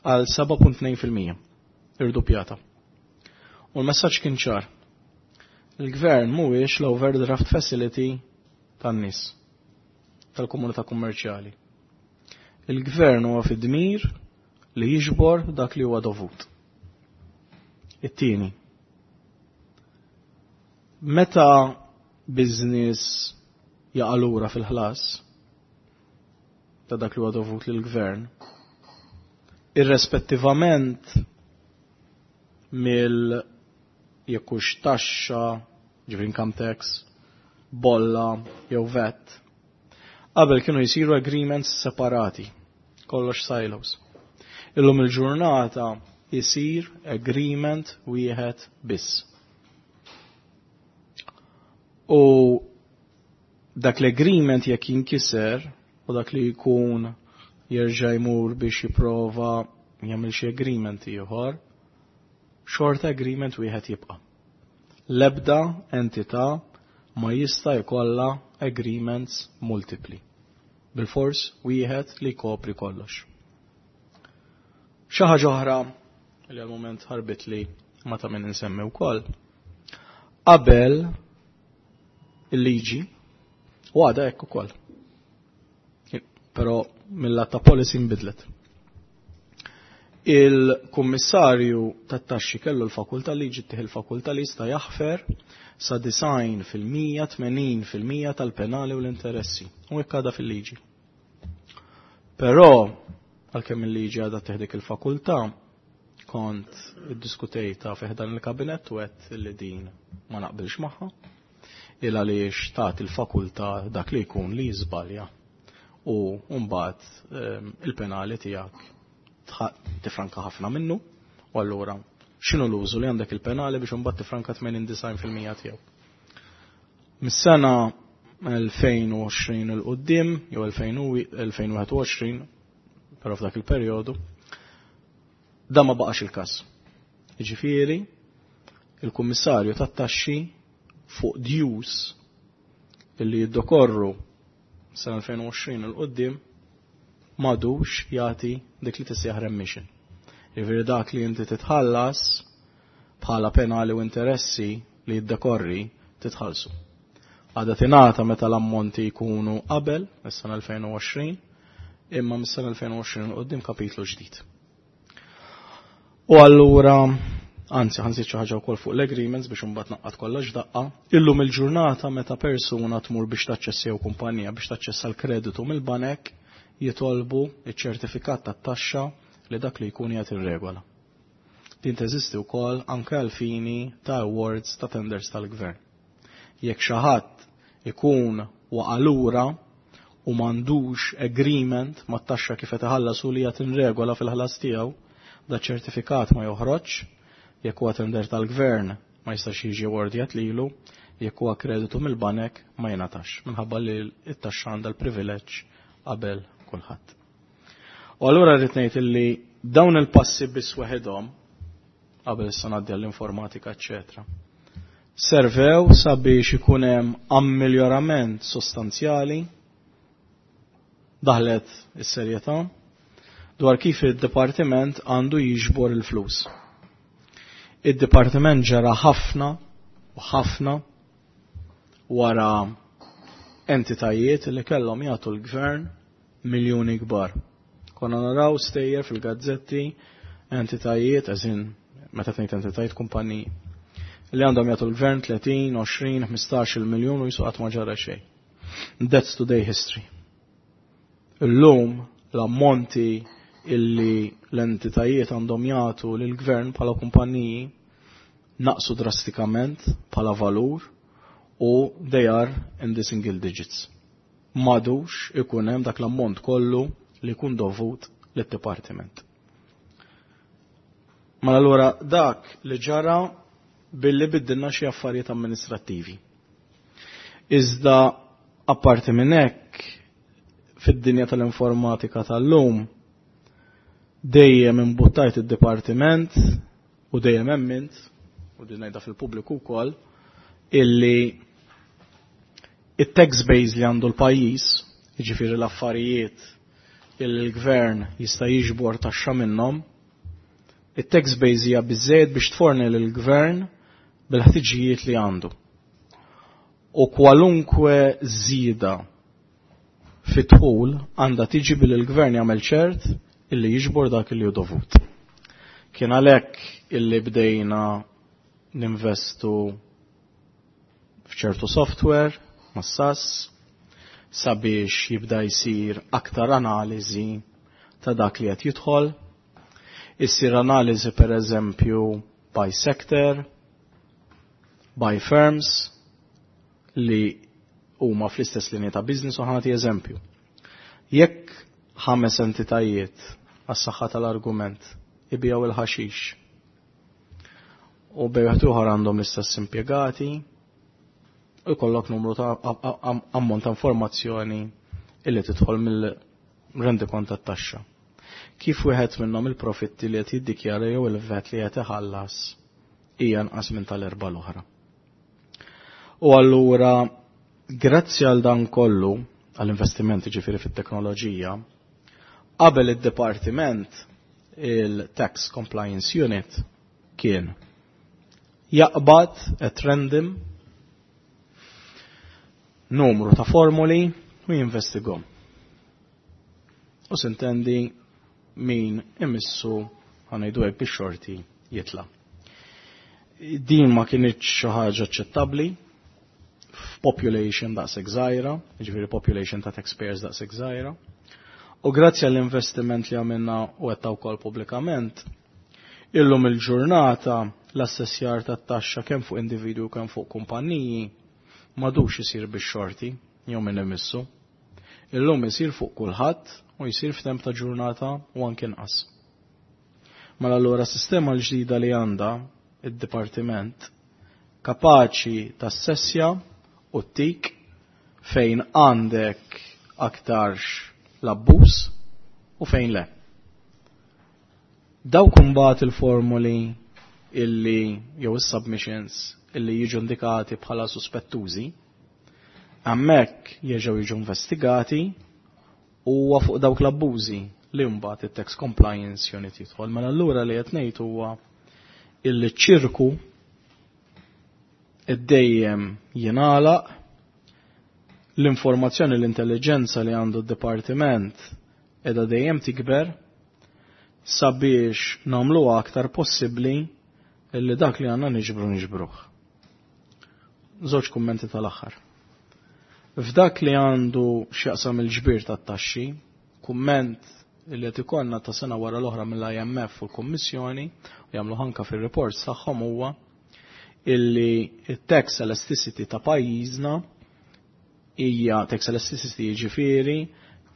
għal 7.2% irdupjata. U l-messaġġ kien ċar. Il-gvern mhuwiex l-overdraft facility tan-nies tal-komunità kummerċjali. Il-gvern huwa fid-dmir li jiġbor dak li huwa dovut. It-tieni. Meta business jaqalura fil-ħlas ta' dak li huwa dovut lill-gvern, irrespettivament mill jekk hux taxxa, ġifieri income tax, bolla jew VAT. Qabel kienu jsiru agreements separati, kollox silos. Illum il-ġurnata jisir agreement wieħed biss. U dak l-agreement jekk jinkiser u dak li jkun jerġa' jmur biex jipprova jagħmel xi agreement ieħor, xorta agreement wieħed jibqa'. L-ebda entità ma jista' jkollha agreements multipli. Bil-fors wieħed li jkopri kollox. Xi ħaġa oħra li għal-moment ħarbit li ma ta' min insemmi wkoll. Qabel il-liġi u għada hekk ukoll. Però mill-lat ta' policy nbidlet. Il-kummissarju tat-taxxi kellu l-fakultà li ġittih il-fakultà li jista' jaħfer sa 90%, 80% tal-penali u l-interessi. U hekk għadha fil-liġi. Però għalkemm il-liġi għadha teħdik il-fakultà, kont iddiskutejta fi dan il-kabinett u għedt li din ma naqbilx magħha. Il għaliex tagħti il-fakultà dak li jkun li jiżbalja u mbagħad il-penali tiegħek tifranka ħafna minnu u allura x'inhu l-użu li għandek il-penali biex imbagħad tifranka 89% tiegħu. Mis-sena 2020 il qudiem jew 2021, però f'dak il-perjodu, da ma baqax il-każ. Jiġifieri, il-kummissarju tat-taxxi fuq dues illi jiddokorru sena 2020 il qudiem m'għadux jagħti dik li tissejjaħ remission. Jiġifieri dak li inti titħallas bħala penali u interessi li jiddekorri titħallsu. Għada tingħata meta l-ammonti jkunu qabel is-sena 2020, imma mis-sena 2020 qudiem kapitlu ġdid. U allura, anzi, ħa nżid xi ħaġa wkoll fuq l-agreements biex imbagħad naqqat kollox daqqa. Illum il-ġurnata meta persuna tmur biex taċċessa jew kumpanija biex taċċessa l-kreditu mill-banek jitolbu iċ-ċertifikat tat-taxxa li dak li jkun jagħti regola. Din teżisti wkoll anke għal fini ta' awards ta' tenders tal-gvern. Jekk xi ħadd ikun waqalura u m'għandux agreement mat-taxxa kif qed iħallas u li qed inregola fil-ħlas tiegħu, da ċertifikat ma joħroġ, jekk huwa tender tal-gvern ma jistax jiġi awardjat lilu, jekk huwa kreditu mill-banek ma jingħatax minħabba li t-taxxa għandha l-privileġġ qabel kulħadd. U allura rrid ngħid illi dawn il-passi biss waħedhom qabel issa ngħaddi għall-informatika, eċċetera. Servew sabiex ikun hemm ammiljorament sostanzjali daħlet is-serjetà dwar kif id-dipartiment għandu jiġbor il-flus. Id-dipartiment ġara ħafna u ħafna wara entitajiet li kellhom jagħtu l-gvern miljuni kbar. Konna naraw stejjer fil-gazzetti entitajiet, eżin, meta tgħid entitajiet kumpaniji, li għandhom jagħtu l-gvern 30, 20, 15 miljun u jisu qatt ma ġara xejn. That's today history. Illum l-ammonti illi l-entitajiet għandhom jagħtu lill-gvern bħala kumpaniji naqsu drastikament bħala valur u they are in the single digits. M'għadux ikun hemm dak l-ammont kollu li jkun dovut lid-dipartiment. Mela allura dak li ġara billi biddilna xi affarijiet amministrattivi. Iżda apparti minn hekk fid-dinja tal-informatika tal-lum dejjem imbuttajt id-dipartiment u dejjem emmint u din ngħidha fil-pubbliku wkoll illi it-tax base li għandu l-pajjiż, jiġifieri l-affarijiet illi l-gvern jista' jiġbor taxxa minnhom, it-tax base hija biżejjed biex tforni lill-gvern bil-ħtiġijiet li għandu. U kwalunkwe żieda fit-dħul għandha tiġi billi l-gvern jagħmel ċert illi jiġbor dak illi hu dovut. Kien għalhekk illi bdejna ninvestu f'ċertu software mas-SAS sabiex jibda jsir aktar analiżi ta' dak li qed jidħol. Issir analiżi per eżempju by sector, by firms li huma fl-istess linja ta' business u ħa nagħti eżempju. Jekk ħames entitajiet għas-saħħa tal-argument ibijaw il-ħaxix u bejn ieħor għandhom l-istess impjegati u jkollok numru ta' ammont ta' informazzjoni illi tidħol mill-rendikont tat-taxxa. Kif wieħed minnhom il-profitti li qed jiddikjara jew il-VAT li qed iħallas hija nqas minn tal-erba' l-oħra. U allura grazzi għal dan kollu għall-investimenti ġifieri fit-teknoloġija, qabel id-dipartiment il-Tax Compliance Unit kien jaqbad at random numru ta' formuli u jinvestigom. U sintendi min imissu ħa ngħidu hekk bix-xorti jitla. Din ma kinitx xi ħaġa aċċettabbli f'population daqshekk żgħira, jiġifieri population ta' taxpayers daqshekk żgħira. U grazzi għall-investiment li għamilna u għedtha wkoll pubblikament, illum il-ġurnata l-assessjar tat-taxxa kemm fuq individwi u kemm fuq kumpanniji m'għadux isir bix-xorti jew minn imissu. Illum isir fuq kulħadd u jsir f'temp ta' ġurnata u anke inqas. Mela allura sistema l-ġdida li għandha id-dipartiment kapaċi tassessja u tik fejn għandek aktarx l-abbuż u fejn le. Dawk imbagħad il-formuli illi jew is-submissions illi jiġu indikati bħala suspettużi, hemmhekk jerġgħu jiġu investigati u huwa fuq dawk l-abbużi li mbagħad it-tax compliance unit jidħol. Mela allura li qed ngħid huwa illi ċirku id-dejjem jingħalaq l-informazzjoni l-intelligenza li għandu d-dipartiment edha dejjem tikber sabiex nagħmluha aktar possibbli illi dak li għandna niġbru niġbruh. Żewġ kummenti tal-aħħar. F'dak li għandu x'jaqsam il-ġbir tat-taxxi, kumment li qed ikollna ta' sena wara l-oħra mill-IMF u l-Kummissjoni u jagħmlu anka fir-reports tagħhom huwa illi tax elasticity ta' pajjiżna hija tax elasticity jiġifieri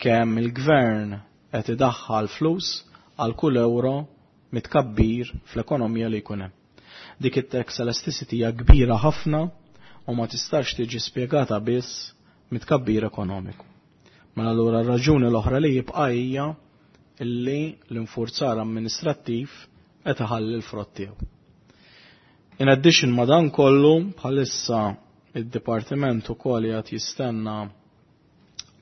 kemm il-gvern qed idaħħal flus għal kull euro mitkabbir fl-ekonomija li jkun hemm. Dik it-tax elasticity hija kbira ħafna u ma tistax tiġi spjegata biss mitkabbir ekonomiku. Mela allura r-raġuni l-oħra li jibqa' hija illi l-infurzar amministrattiv qed iħalli l-frott tiegħu. In addition ma dan kollu bħalissa id-dipartiment ukoll qed jistenna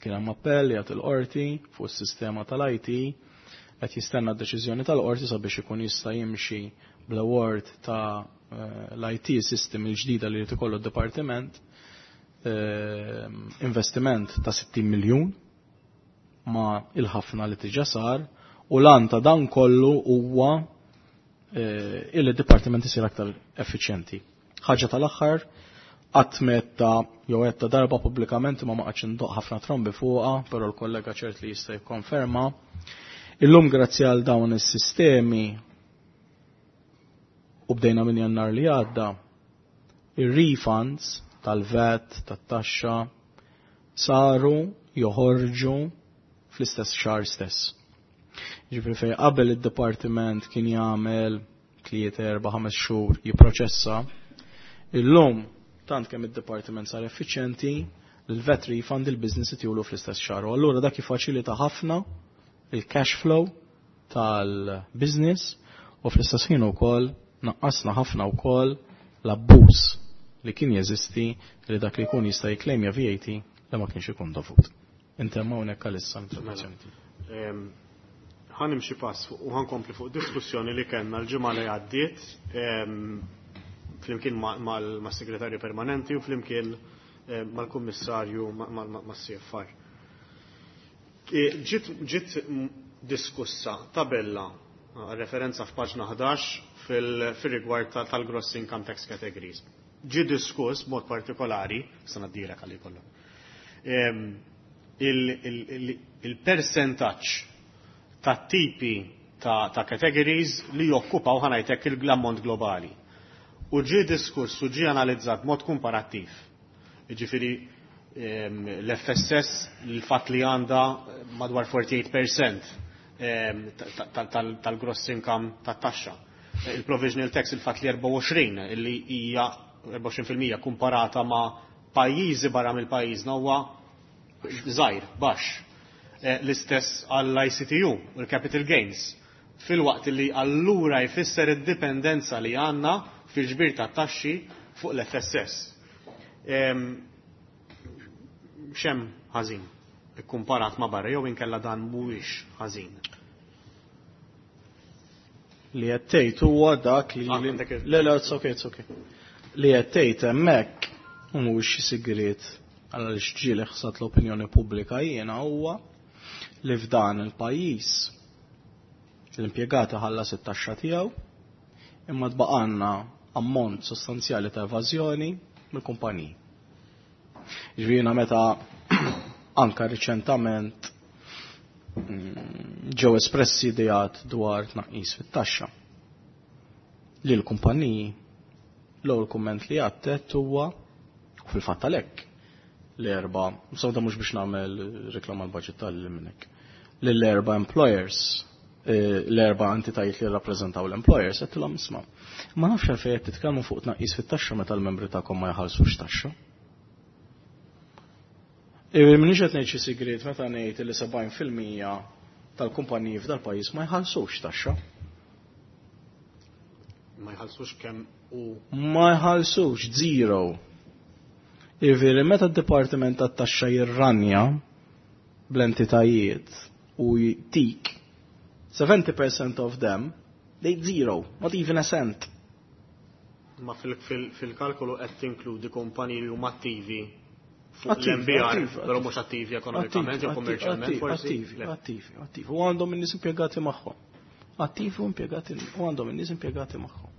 kien hemm appell jgħid il-qorti fuq is-sistema tal-IT qed jistenna d-deċiżjoni tal-qorti sabiex ikun jista' jimxi bl-award ta' l-IT system il-ġdida li jrid ikollu d-dipartiment investiment ta' 60 miljun ma' il-ħafna li diġà sar u lan ta' dan kollu huwa il-dipartiment isir aktar effiċjenti. Ħaġa tal-aħħar, qatt metta jew għedtha darba pubblikament ma ma indoqq ħafna trombi fuqha, però l-kollega ċert li jista' jikkonferma. Illum grazzi għal dawn is-sistemi u bdejna minn Jannar li għadda, ir-refunds tal-VAT, tat-taxxa, saru joħorġu fl-istess xahar stess. Ġifieri fej qabel id-dipartiment kien jagħmel 3, 4, 5 xhur jipproċessa, illum Tant kemm id-dipartiment sar effiċjenti, l-VAT refund il-business itihulu fl-istess xahar. U allura dak jiffaċilita ħafna il-cash flow tal-business u fl-istess ħin ukoll naqqasna ħafna wkoll l-abbuż li kien jeżisti li dak li jkun jista' jiklejmja VAT li ma kienx ikun dovut. Intemm hawnhekk għalissa l-introduzzjoni tiegħi. Ħa nimxi pass fuq u ħa nkompli fuq diskussjoni li kellna l-ġimgħa li għaddiet flimkien mas-Segretarju Permanenti u flimkien mal-Kummissarju mas-CFR. Ġiet diskussa tabella referenza f'paġna 11 fil-rigward tal-gross income tax categories. Ġi diskuss b'mod partikolari, sa ngħaddilek għalli kollha. Il-percentaġġ ta' tipi ta' categories li jokkupaw, ħa ngħidlek, l-ammont globali. U ġi diskuss u ġi analizzat mod komparattiv. Ġifieri l-FSS, l-fat li għandha madwar 48% tal-gross income tat-taxxa. Il-provisional tax, il-fat li 24, li hija 24% komparata ma' pajjiżi barra mill-pajjiżna, huwa żgħir, baxx. L-istess għall-ICTU u l-capital gains. Fil-waqt li allura jfisser id-dipendenza li għandna fil-ġbir ta' taxxi fuq l-FSS. X'hemm ħażin ikkumparat ma' barra jew inkella dan mhuwiex ħażin? Li qed tgħid huwa dak li Ah, għandek Le, le, it's okay, it's okay. Li qed tgħid hemmhekk mhuwiex xi sigriet għal ġieli ħsat l-opinjoni pubblika jiena huwa li f'dan il-pajjiż l-impjegati ħallas it-taxxa tiegħu imma tbaqanna ammont sostanzjali ta' evażjoni mill-kumpaniji. Ġifieri meta anka riċentament ġew espressi ideat dwar tnaqqis fit-taxxa li l-kumpaniji, l-ewwel kumment li għattet huwa, u fil-fatt għalhekk l-erba', sewda mhux biex nagħmel reklama l-budget tal-minnek, lill-erba' employers, l-erba' entitajiet li rappreżentaw l-employers, għedtilhom, "Isma', ma nafx għalfejn qed titkellmu fuq tnaqqis fit-taxxa meta l-membri tagħkom ma jħallsux taxxa." M'iniex qed ngħid xi sigriet meta ngħid li 70% tal-kumpaniji f'dal-pajjiż ma jħallsux taxxa. Ma jħallsux kemm u Ma jħallsux, zero. Jiġifieri meta d-Dipartiment tat-Taxxa jirranja bl-entitajiet u jtik 70% of them, they zero, not even a cent. Ma fil-kalkolu qed tinkludi kumpaniji li huma attivi fuq Attivi, l-MBR, attivi, però mhux attivi ekonomikament jew kummerċjalment forsi. Attivi, Le. attivi, attivi. U għandhom in-nies impjegati magħhom. Attivi u impjegati u għandhom in-nies impjegati magħhom.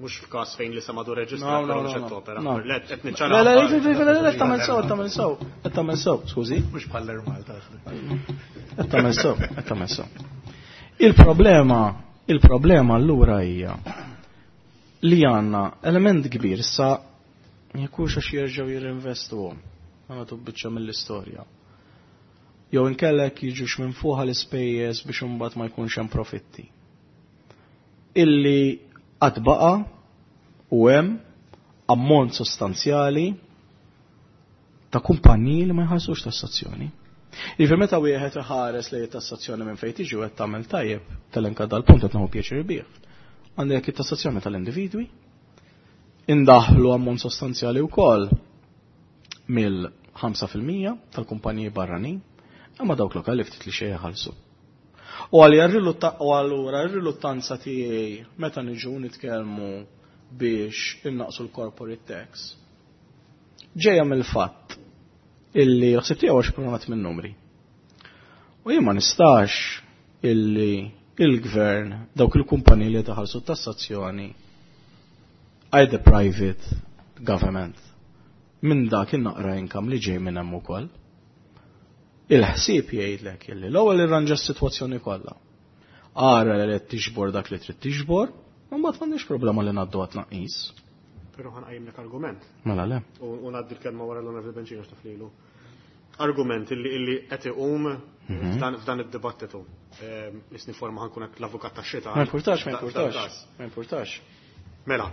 Mhux f'każ fejn li samadu No, reġistrat no, però no, mhux qed no. topera. No. Le, qed niċċara. Le, le, le, le, le, le, tagħmel sew, tagħmel sew, qed tagħmel sew, skużi. Mhux bħal Malta. Qed tagħmel sew, qed tagħmel sew. Il-problema allura hija li għandna element kbir issa jekk hux għax jerġgħu jirrinvestu għamlu biċċa mill-istorja. Jew inkellek jiġux minn fuqha l-ispejjeż biex imbagħad ma jkunx hemm profitti. Illi qatt baqa' u hemm ammont sostanzjali ta' kumpaniji li ma jħallsux tassazzjoni. Jiġifieri meta wieħed iħares li tassazzjoni minn fejn tiġi u qed tagħmel tajjeb telenka dal-punt qed nieħu pjaċir bih. Għandek it-tassazzjoni tal-individwi, indaħlu ammont sostanzjali wkoll mill-5% tal-kumpaniji barranin, imma dawk lokali ftit li xejn jħallsu. U allura r-riluttanza tiegħi meta niġu nitkellmu biex innaqsu l-corporate tax ġejja mill-fatt illi l-ħsieb tiegħu għax programmat minn numri. U jien ma nistax illi il-gvern dawk il-kumpaniji li taħallsu tassazzjoni either private government minn dak in-naqra income li ġej minn hemm ukoll. Il-ħsieb jgħidlek illi l-ewwel irranġa s-sitwazzjoni kollha. Ara li qed tiġbor dak li trid tiġbor, u mbagħad m'għandix problema li ngħaddu għat tnaqqis. Però ħa nqajjimlek argument. Mela le. U ngħaddi l-kelma wara l-Onorevoli Bencini x'taf lilu. Argument illi qed iqum f'dan id-dibattitu. Isni forma ħa nkun hekk l-avukat tax-xitan. Ma importax, ma importax. Ma importax. Mela,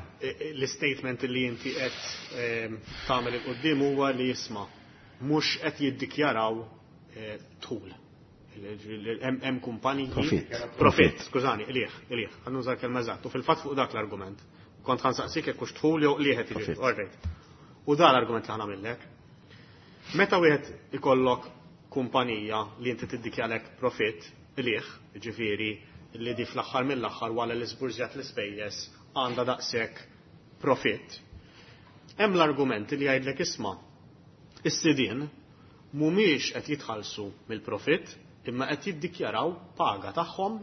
l-statement li inti qed tagħmel 'il quddiem huwa li jisma' mhux qed jiddikjaraw dħul. Hemm kumpaniji. Profit. Profit, skużani, qligħ, qligħ, ħa nuża l-kelma eżatt. U fil-fatt fuq dak l-argument. Kont ħa nsaqsik jekk hux dħul jew qligħ qed jiġi. All right. U dan l-argument li ħa nagħmillek. Meta wieħed ikollok kumpanija li inti tiddikjaralek profit, qligħ, ġifieri li di fl-aħħar mill-aħħar wara li żburżjat l-ispejjeż għandha daqshekk profit. Hemm l-argument li jgħidlek isma' is-sidien mhumiex qed jitħallsu mill-profit imma qed jiddikjaraw paga tagħhom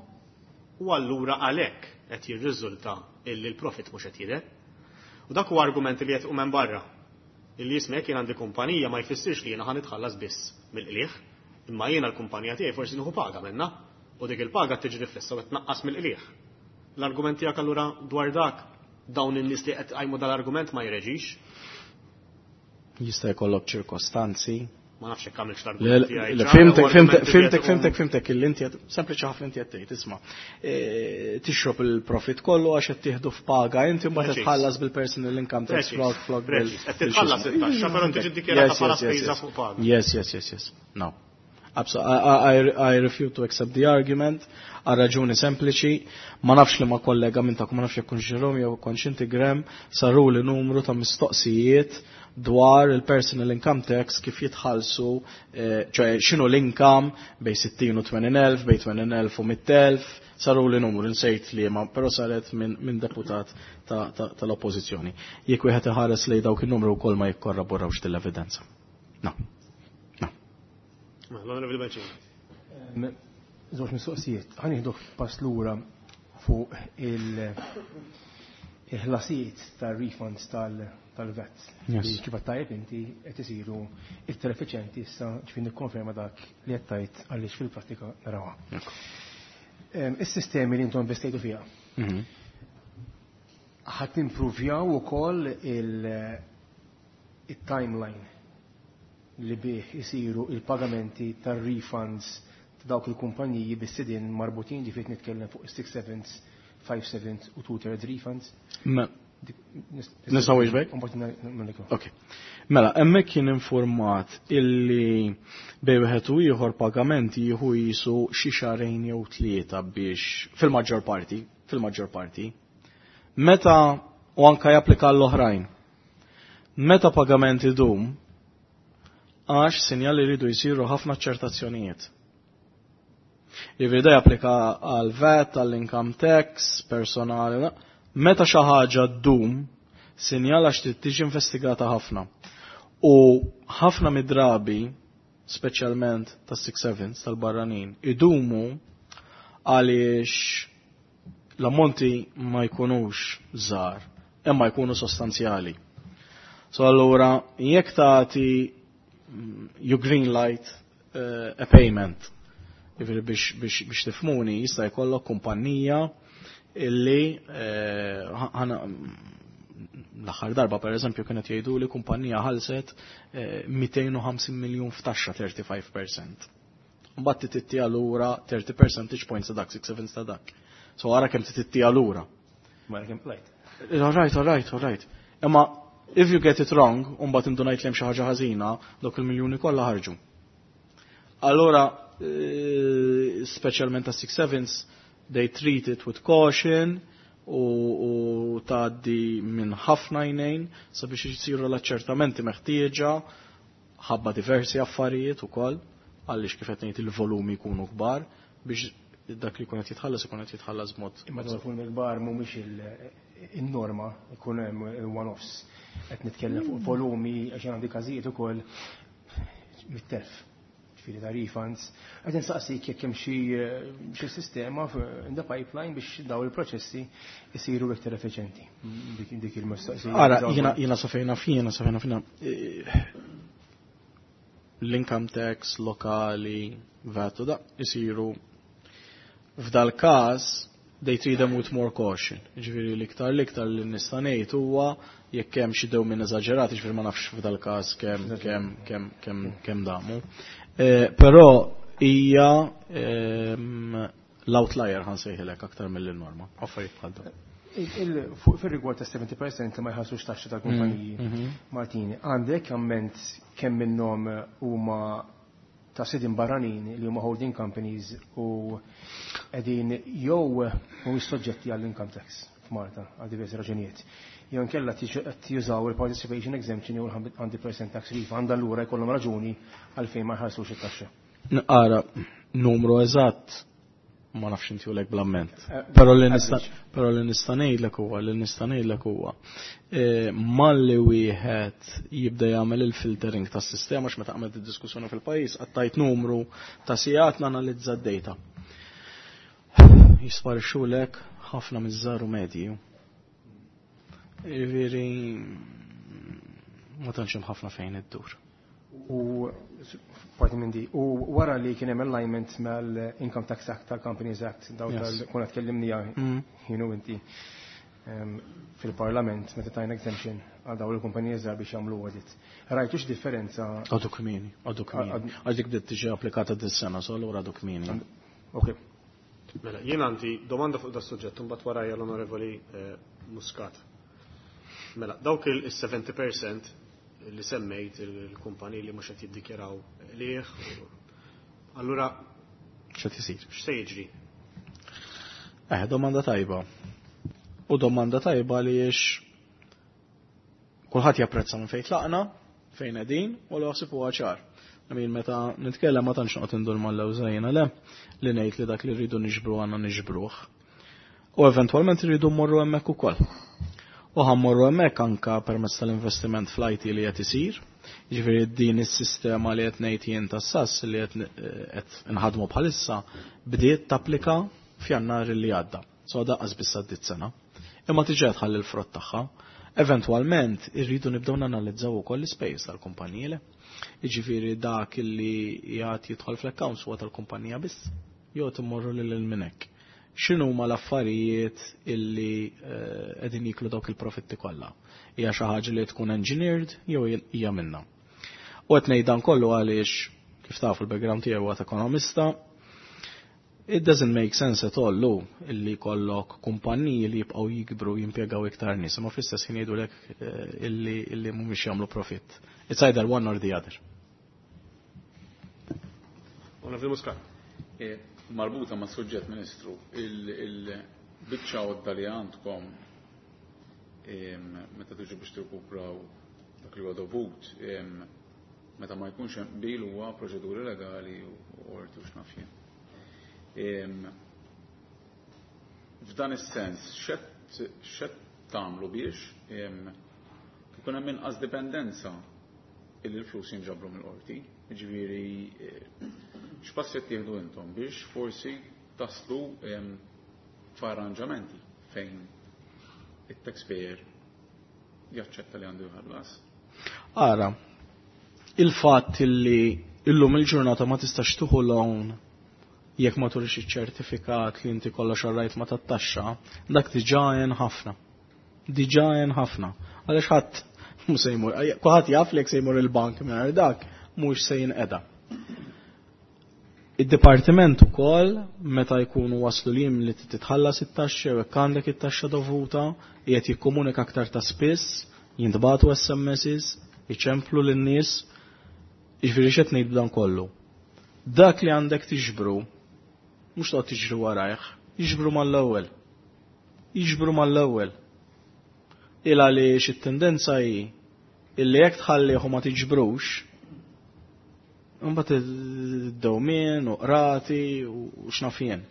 u allura għalhekk qed jirriżulta illi l-profit mhux qed jidher. U dak huwa argument li qed minn barra. Illi jisma' jekk jien għandi kumpanija ma jfissirx li jiena ħa nitħallas biss mill-qligħ, imma jiena l-kumpanija tiegħi forsi nieħu paga minnha u dik il-paga tiġi riflessa u qed tnaqqas mill-qligħ. L-argument tiegħek allura dwar dak dawn in-nies li qed qajmu dal-argument ma jreġix. Jista' jkollok ċirkostanzi. Ma nafx jekk għamilx l-argument tiegħi. Fhimtek, fhimtek, fhimtek, fhimtek, fhimtek, illi inti qed sempliċi ħafna inti qed tgħid, isma'. Tixrob il-profit kollu għax qed tieħdu f'paga, inti mbagħad titħallas bil-personal income tax flok bil. Qed titħallas it-taxxa, però tiġi ddikjarata bħala spiża fuq paga. Yes. No. Absolutely. I refuse to accept the argument għal raġuni sempliċi, ma nafx li ma kollega minn ta' ma nafx jekk Jerome jew kontx inti Graham, saru li numru ta' mistoqsijiet dwar il-personal income tax kif jitħallsu, ċoè x'inhu l-income bejn 60 u 80,000, bejn 80,000 u 100,000, saru li numru nsejt li ma, però saret minn deputat tal-oppożizzjoni. Jekk wieħed iħares lejn dawk in-numru wkoll ma jikkorraborawx din l-evidenza. No. No. L-Onorevoli Bencini. Żewġ mistoqsijiet. Ħa nieħdu pass lura fuq il-ħlasijiet tar-refunds tal-VAT. Kif tajjeb inti qed isiru iktar effiċjenti issa, ġifieri nikkonferma dak li qed tgħid għaliex fil-prattika narawha. Is-sistemi li intom investejtu fiha. Ħadd timprovjaw ukoll il-timeline li bih isiru il-pagamenti tar-refunds ta' dawk il-kumpaniji bis-sidien marbutin, ġifieri nitkellem fuq 6 sevens, 5 sevens u 2 thirds refunds. Nistgħu iġbek? Ok. Mela, hemmhekk kien informat illi bejn wieħed u ieħor pagamenti jieħu jisu xi xahrejn jew tlieta biex fil-maġġor parti, fil-maġġor parti. Meta u anka japplika l-oħrajn. Meta pagamenti dum, għax sinjali jridu jsiru ħafna ċertazzjonijiet. Jiġifieri japplika għal VAT, għall-income tax, personali, no? Meta xi ħaġa ddum, sinjal għax trid tiġi investigata ħafna. U ħafna mid-drabi, speċjalment ta' six sevens tal-barranin, idumu għaliex l-ammonti ma jkunux żgħar, imma jkunu sostanzjali. So allura, jekk tagħti you green light a payment, jiġifieri biex tifhmuni, jista' jkollok kumpanija illi l-aħħar darba per eżempju kienet jgħidu li kumpanija ħalset 250 miljun f'taxxa 35%. Mbagħad tittiha lura 30 percentage points ta' dak, 6 sevens ta' dak. So ara kemm tittiha lura. Ma kemm plajt. All right, all right, all right. Imma if you get it wrong, u mbagħad indunajt li hemm xi ħaġa ħażina, dawk il-miljuni kollha ħarġu. Allora, speċjalment ta' 6 sevens, they treat it with caution u tgħaddi minn ħafna jnejn sabiex jisiru l-aċċertamenti meħtieġa ħabba diversi affarijiet ukoll, għaliex kif qed ngħid il-volumi jkunu kbar biex dak li jkun qed jitħallas ikun qed jitħallas b'mod. Imma dawn il-volumi kbar mhumiex il-norma, ikun hemm one-offs. Qed nitkellem fuq volumi għax għandi każijiet ukoll mit-telf. Ġifieri ta' refunds. Qed insaqsik jekk hemm xi sistema in the pipeline biex daw il-proċessi jsiru iktar effiċjenti. Dik il-mistoqsija. Ara, jiena safejna fina, safejna fina. L-income tax lokali, VAT u da, jisiru f'dal każ they treat them with more caution. Ġifieri l-iktar li nista' ngħid huwa jekk hemm xi dewmien eżaġerat, ġifieri ma nafx f'dal każ kemm damu. Però hija l-outlier ħa nsejħilek aktar mill-norma. Affarijiet bħal dawn. Fil-rigward ta' 70% li ma jħallsux taxxa tal-kumpaniji Maltin, għandek amment kemm minnhom huma ta' sidin barranin li huma holding companies u qegħdin jew mhumiex soġġetti għall-income tax f'Malta għal diversi raġunijiet, jew inkella qed jużaw il-participation exemption jew il-100% tax refund, allura jkollhom raġuni għalfejn ma jħallsux it-taxxa? Ara, numru eżatt ma nafx intihulek bl-amment. Però li nista' ngħidlek huwa li nista' ngħidlek huwa malli wieħed jibda jagħmel il-filtering tas-sistema, għax meta għamilt id-diskussjoni fil-pajjiż qattajt numru ta' sigħat nanalizza d-data. Jisparixxulek ħafna miż-żgħar u medji. Jiġifieri ma tantx hemm ħafna fejn iddur. U parti minn di, u wara li kien hemm alignment mal-Income Tax Act, tal-Companies Act, daw tal konna tkellimni jien u inti fil-Parlament meta tajna exemption għal daw il-kumpaniji żgħar biex jagħmlu audit. Rajtu differenza? Għadu kmieni, għadu kmieni. Għax dik bdiet tiġi applikata dis-sena, so allura għadu kmieni. Ok. Mela, jien għandi domanda fuq da suġġett, mbagħad warajja l-Onorevoli Muscat. Mela, dawk il-70% li semmejt, il-kumpani li mhux qed jiddikjaraw liħ, allura x'qed isir? X'se jiġri? Domanda tajba. U domanda tajba li jiex kulħadd japprezza minn fejn tlaqna, fejn qegħdin, u l ħsieb huwa ċar. Għamin meta nitkellem ma tantx noqgħod indur mal-lewża jiena, le, li ngħid li dak li rridu niġbru għandna niġbruh. U eventwalment rridu mmorru hemmhekk ukoll. U ħa mmorru hemmhekk anka permezz tal-investiment fl-IT li qed isir. Jiġifieri din is-sistema li qed ngħid jien tas-SAS li qed inħadmu bħalissa bdiet tapplika f'Jannar li għadda. So daqqas biss għaddiet sena. Imma tiġi tħalli l-frott tagħha. Eventwalment irridu nibdew nanalizzaw ukoll l-ispejjeż tal-kumpaniji, le. Jiġifieri dak li jgħid jidħol fl-accounts huwa tal-kumpanija biss. Jew timmorru lil minn hekk. X'inhu huma l-affarijiet illi qegħdin jiklu dawk il-profitti kollha? Hija xi ħaġa li tkun engineered jew hija minna? U qed ngħid dan kollu għaliex kif tafu l-background tiegħi huwa ekonomista. It doesn't make sense at all lu illi kollok kumpanniji li jibqgħu jikbru, jimpjegaw iktar nies, imma fl-istess ħin jgħidulek illi mhumiex jagħmlu profitt. It's either one or the other. Onorevoli Muscat. Marbuta ma' suġġett, Ministru, il-biċċa għodda li għandkom meta tiġu biex tirkupraw dak li huwa dovut, meta ma jkunx hemm qbil, huwa proċeduri legali u qorti u x'naf jien. F'dan is-sens, x'qed tagħmlu biex ikun hemm inqas dipendenza illi l-flus jinġabru mill-qorti? Jiġifieri x'passi qed tieħdu intom biex forsi taslu f'arranġamenti fejn it-taxpayer jaċċetta li għandu jħallas? Ara, il-fatt illi illum il-ġurnata ma tistax tieħu loan jekk ma turix iċ-ċertifikat li inti kollox rajt ma tat-taxxa, dak diġà għen ħafna. Diġà għen ħafna. Għaliex ħadd mhux se jmur, kulħadd jaf li jekk se jmur il-bank mingħajr dak mhux se jinqeda. Id-dipartiment ukoll meta jkunu waslu li li titħallas it-taxxa jew jekk għandek it-taxxa dovuta, qiegħed jikkomunika aktar ta' spiss, jintbagħtu SMSs, iċemplu lin-nies, jiġifieri x'qed ngħid b'dan kollu? Dak li għandek tiġbru, mhux toqgħod tiġri warajh, jiġbru mal-ewwel. Jiġbru mal-ewwel. Il għaliex it-tendenza hi illi jekk tħallih u ma tiġbrux, imbagħad id-dewmien u qrati u x'naf jien.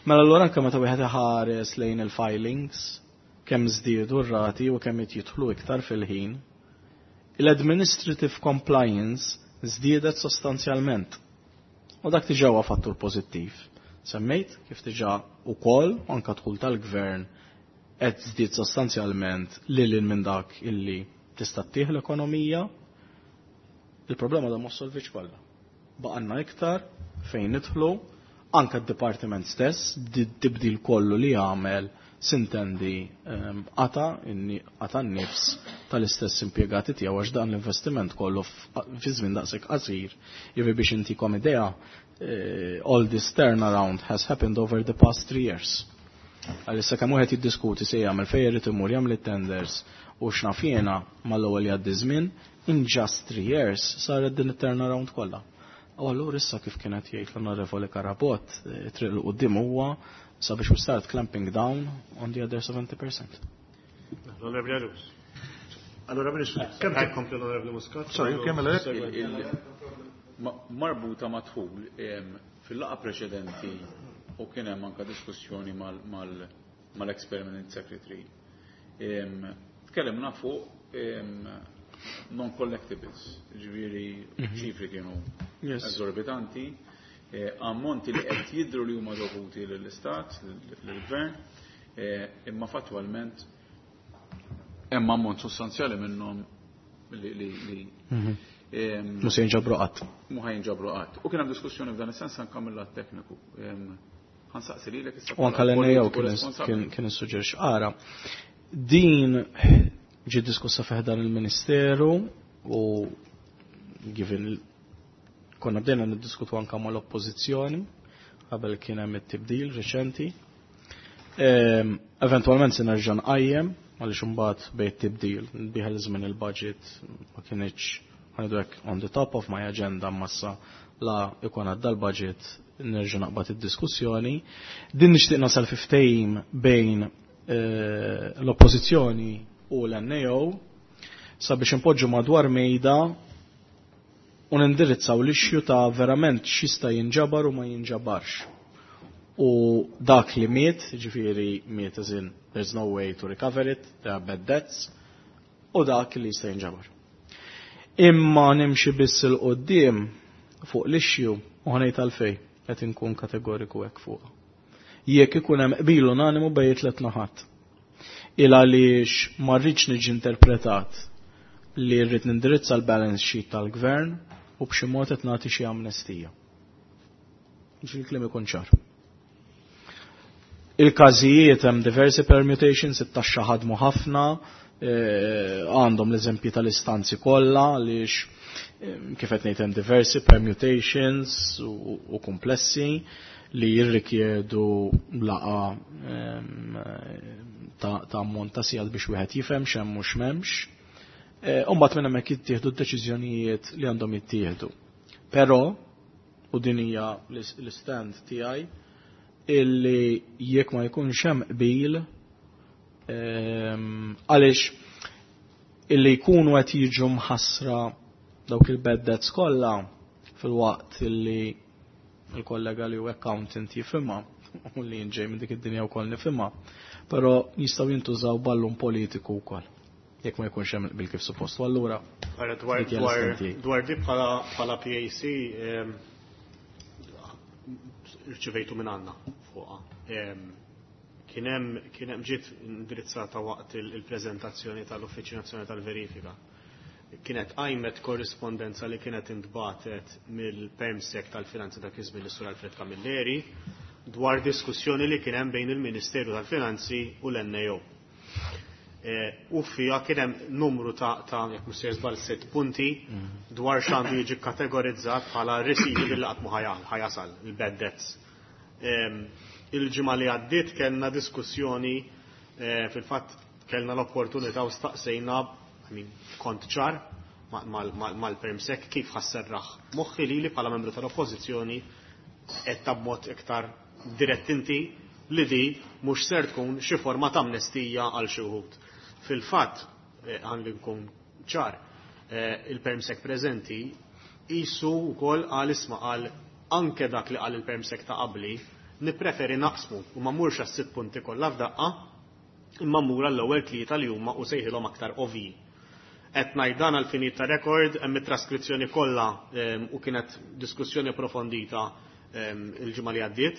Mela allura anke meta wieħed iħares lejn il-filings, kemm żdiedu r-rati u kemm qed jidħlu iktar fil-ħin, il-administrative compliance żdiedet sostanzjalment. U dak diġà huwa fattur pożittiv. Semmejt kif diġà ukoll anke dħul tal-gvern qed żdied sostanzjalment lil minn dak illi tista' ttieħ l-ekonomija. Il-problema da ma solvix kollha. Baqanna iktar fejn nidħlu, anke d-dipartiment stess, tibdil kollu li għamel sintendi qata n-nifs tal-istess impjegati tiegħu għax dan l-investiment kollu fi żmien daqshekk qasir. Jiġifieri biex intikom idea, all this turnaround has happened over the past 3 years. Għalissa kemm wieħed jiddiskuti se jagħmel fejn irid imur jagħmel it-tenders u x'naf jiena mal-ewwel jgħaddi żmien, in just 3 years saret din it-turnaround kollha. U allura issa, kif kienet jgħid l-Onorevoli Karabot, triq 'l quddiem huwa sabiex we start clamping down on the other 70%. L-Onorevoli Agius. Allora, Ministru, kemm Kompli l-Onorevoli Muscat. Sorry, kemm Marbuta ma' dħul, fil-laqgħa preċedenti u kien hemm anka diskussjoni mal-ex-permanent secretary. Tkellimna fuq non-collectibles, ġifieri ċifri kienu eżorbitanti, ammonti li qed jidru li huma dovuti lill-Istat, lill-Gvern, imma fattwalment hemm ammont sostanzjali minnhom li Mhux se jinġabru qatt. Mhu ħa jinġabru qatt. U kien hemm diskussjoni f'dan is-sens anke mill-lat tekniku. Ħa nsaqsi lilek issa. U anke l-NAO kien issuġġerix. Ara, din ġi diskussa fi ħdan il-Ministeru u given konna bdejna niddiskutu anka mal-oppożizzjoni qabel kien hemm it-tibdil reċenti. Eventualment se nerġa' nqajjem għaliex imbagħad bejn tibdil biħel żmien il-budget ma kienx, ħa ngħidu hekk, on the top of my agenda massa la ikun għadda l-budget nerġa' naqbad id-diskussjoni. Din nixtieq nasal fi ftehim bejn l-oppożizzjoni u l-NAO sabiex impoġġu madwar mejda u nindirizzaw l-issue ta' verament x'jista' jinġabar u ma jinġabarx. U dak li miet, ġifieri miet as in there's no way to recover it, there are bad debts, u dak li jista' jinġabar. Imma nimxi biss 'il quddiem fuq l-issue u ħa ngħid għalfejn qed inkun kategoriku hekk fuq. Jekk ikun hemm qbil unanimu bejn tliet naħat. Il għaliex ma rridx niġi interpretat li rrid nindirizza l-balance sheet tal-gvern u b'xi mod qed nagħti xi amnestija. Biex il-kliem ikun ċar. Il-każijiet hemm diversi permutations, it-taxxa ħadmu ħafna, għandhom l-eżempji tal-istanzi kollha għaliex kif qed ngħid hemm diversi permutations u komplessi li jirrikjedu laqgħa ta' ammont ta' sigħat biex wieħed jifhem x'hemm u x'm'hemmx. U mbagħad minn hemmhekk jittieħdu d-deċiżjonijiet li għandhom jittieħdu. Però, u din hija l-stand tiegħi, illi jekk ma jkunx hemm qbil, għaliex illi jkunu qed jiġu mħassra dawk il-bad debts kollha fil-waqt illi il-kollega li hu accountant jifhimha u li ġej minn dik id-dinja wkoll nifhimha, però jistgħu jintużaw ballun politiku wkoll jekk ma jkunx hemm bil kif suppost. U allura Ara, dwar dik hija dwar l-stand tiegħi. Dwar di bħala PAC rċivejtu minn għandna fuqha. Kien hemm ġiet indirizzata waqt il-preżentazzjoni tal-Uffiċċju Nazzjonali tal-Verifika. Kienet għajmet korrispondenza li kienet intbatet mill-Permsec tal-Finanzi dak iż-żmien, is-Sur Alfred Camilleri, dwar diskussjoni li kien hemm bejn il-Ministeru tal-Finanzi u l-NAO. U fija kien hemm numru ta', jekk mhux sejjer żball, sitt punti dwar x'għandu jiġi kategorizzat bħala receivable li qatt mhu ħa jasal, il-bad debts. Il-ġimgħa li għaddiet kellna diskussjoni, fil-fatt kellna l-opportunità u staqsejna, I mean, kont ċar mal-permsec kif ħa sserraħ moħħi li bħala membru tal-oppożizzjoni qed ta' b'mod iktar dirett inti li di mhux ser tkun xi forma ta' amnestija għal xi wħud. Fil-fatt, għandi nkun ċar, il-permsec preżenti jisu wkoll għal isma' għal anke dak li qal il-permsec ta' qabli nippreferi naqsmu u ma mmurx għas-sitt punti kollha f'daqqa imma mmur għall-ewwel tlieta li huma u sejħilhom aktar ovvji. Qed ngħid dan għal finit ta' rekord, hemm it-traskrizzjoni kollha u kienet diskussjoni approfondita il-ġimgħa li għaddiet.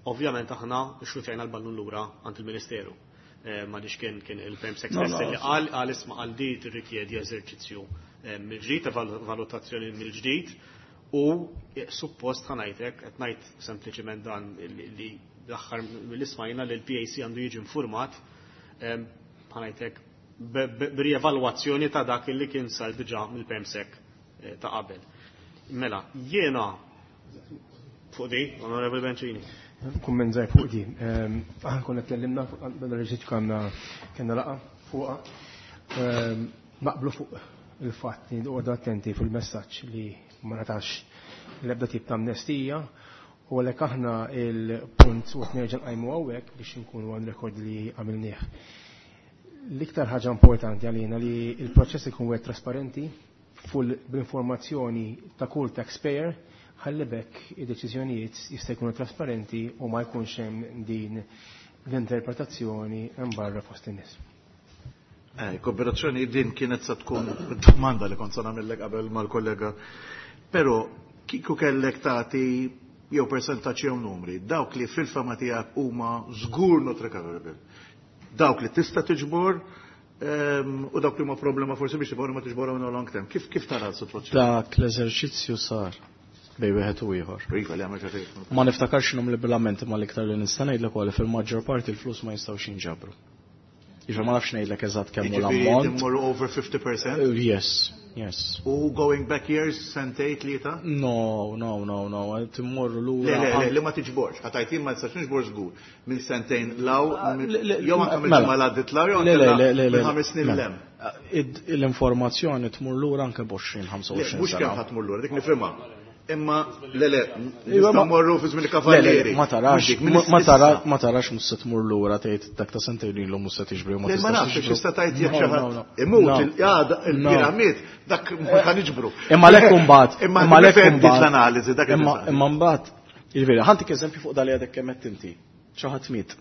Ovvjament aħna xutjajna l-ballun lura għand il-Ministeru. Ma kien il-Permsec No, stess no. li qal isma' qal di tirrikjedi eżerċizzju mill-ġdid, valutazzjoni mill-ġdid u suppost ħa ngħidlek, qed ngħid sempliċement dan li l-aħħar mill-ismajna li l-PAC għandu jiġi informat, ħa ngħidlek, b'rievalwazzjoni ta' dak li kien sar diġà mill-Permsec ta' qabel. Mela, jiena Fuq di, Onorevoli Bencini. Kumment żgħir fuq di. Aħna konna tkellimna fuq dan ir-reġistru kellna kellna laqgħa fuqha. Naqblu fuq il-fatt li noqogħdu attenti fil-messaġġ li ma natax l-ebda tip ta' amnestija u għalhekk aħna il-punt u qed nerġa' nqajmu hawnhekk biex inkunu għan rekord li għamilnieh. L-iktar ħaġa importanti għalina li il-proċess ikun wieħed trasparenti full bl-informazzjoni ta' kull taxpayer ħalli bekk id-deċiżjonijiet jista' jkunu trasparenti u ma jkunx hemm din l-interpretazzjoni hemm barra fost in-nies. Kooperazzjoni din kienet sa tkun domanda li kont sa nagħmellek qabel mal-kollega. Però kieku kellek tagħti jew persentaġġ jew numri, dawk li fil-fama tiegħek huma żgur not recoverable. Dawk li tista' tiġbor u dawk li huma problema forsi biex tiġbor ma tiġborhom in long term. Kif tara s-sitwazzjoni? Dak l-eżerċizzju sar bejn wieħed u ieħor. Iva li għamel ċerti. Ma niftakarx x'inhom l-bilamenti ma l-iktar li nista' ngħidlek ukoll fil-maġġor parti l-flus ma jistgħux jinġabru. Jiġifieri ma nafx ngħidlek eżatt kemm hu Jiġifieri l-ammont. timmorru over 50%? Yes, yes. U going back years, sentejn, tlieta? No, no, no, no, timmorru lura. Le, le, le, li ma tiġborx. Għatajt jien ma nistax niġbor żgur. Minn sentejn law, jew anke minn Mela. ġimgħa l-għaddit law, jew Le, le, anke le, le, le, minn 5 snin mela. lem. L-informazzjoni tmur lura anke b'20, Le, 25 mhux kemm sena. ħadd tmur lura, dik nifhimha. Imma le le, Iva, nistgħu mmorru fi żmien Le, le, il-kavallieri. ma tarax, Mhux dik, minn ma tara, issa. ma tarax mhux se tmur lura tgħid dak ta' sentejn ilu mhux se tiġbri u ma Le, ma tistax nafx tiġbru. x'ista tajt jekk No, xi no, ħadd no. imut No. il-għada No. il-piramid dak ma ħa niġbru. Imma lek imbagħad, Imma imma lek nifhem dik imbagħad. l-analiżi dak Imma il imma mbagħad, jiġifieri, ħantik eżempju fuq dali għadek kemm qed inti. Xi ħadd miet.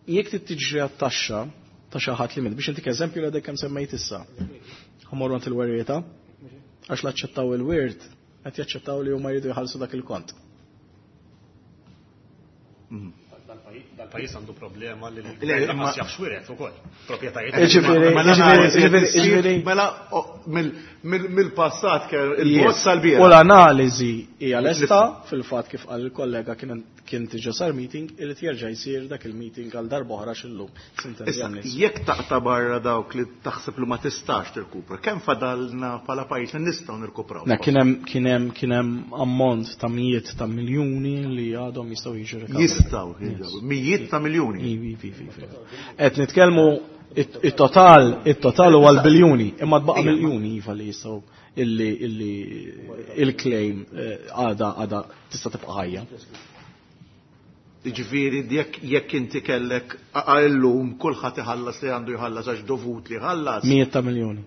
Jekk trid tiġri għat-taxxa ta' xi ħadd li miet, biex intik eżempju li għadek kemm semmejt issa. Ħammorru għand il-werrieta, għax l-aċċettaw il-wirt, qed jaċċettaw li huma jridu jħallsu dak il-kont. Dal-pajjiż għandu problema li Le, l-gvern imma- lanqas jaf x'wiret ukoll. Proprjetajiet. Jiġifieri- Mela l-analiżi jiġifieri- qed issir, jiġifieri- Mela mill-passat kell Yes. il-bozz sal-bieraħ. U l-analiżi hija lesta fil-fatt kif qal il-kollega kien diġà sar meeting irid jerġa' jsir dak il-meeting għal darba oħra x'illum. Sintendi Issa, għan-nies. jekk taqta' barra dawk li taħseb li ma tistax tirkupra, kemm fadalna bħala pajjiż li nistgħu nirkupraw? Na, kien hemm kien hemm kien hemm ammont ta' mijiet ta' miljuni li għadhom jistgħu jiġu recovered. Jistgħu jiġu, mijiet ta' miljuni. Ivi, ivi, ivi. Qed nitkellmu it-total, it-total huwa l-biljuni, imma tbaqa' miljuni iva li jistgħu illi illi il-claim għada għada tista' tibqa' ħajja. Jiġifieri jekk inti kellek illum kulħadd iħallas li għandu jħallas għax dovut li jħallas. Mijiet ta' miljuni.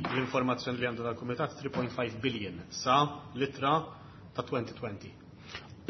L-informazzjoni li għandu dal-Kumitat 3.5 billion sa litra ta' 2020.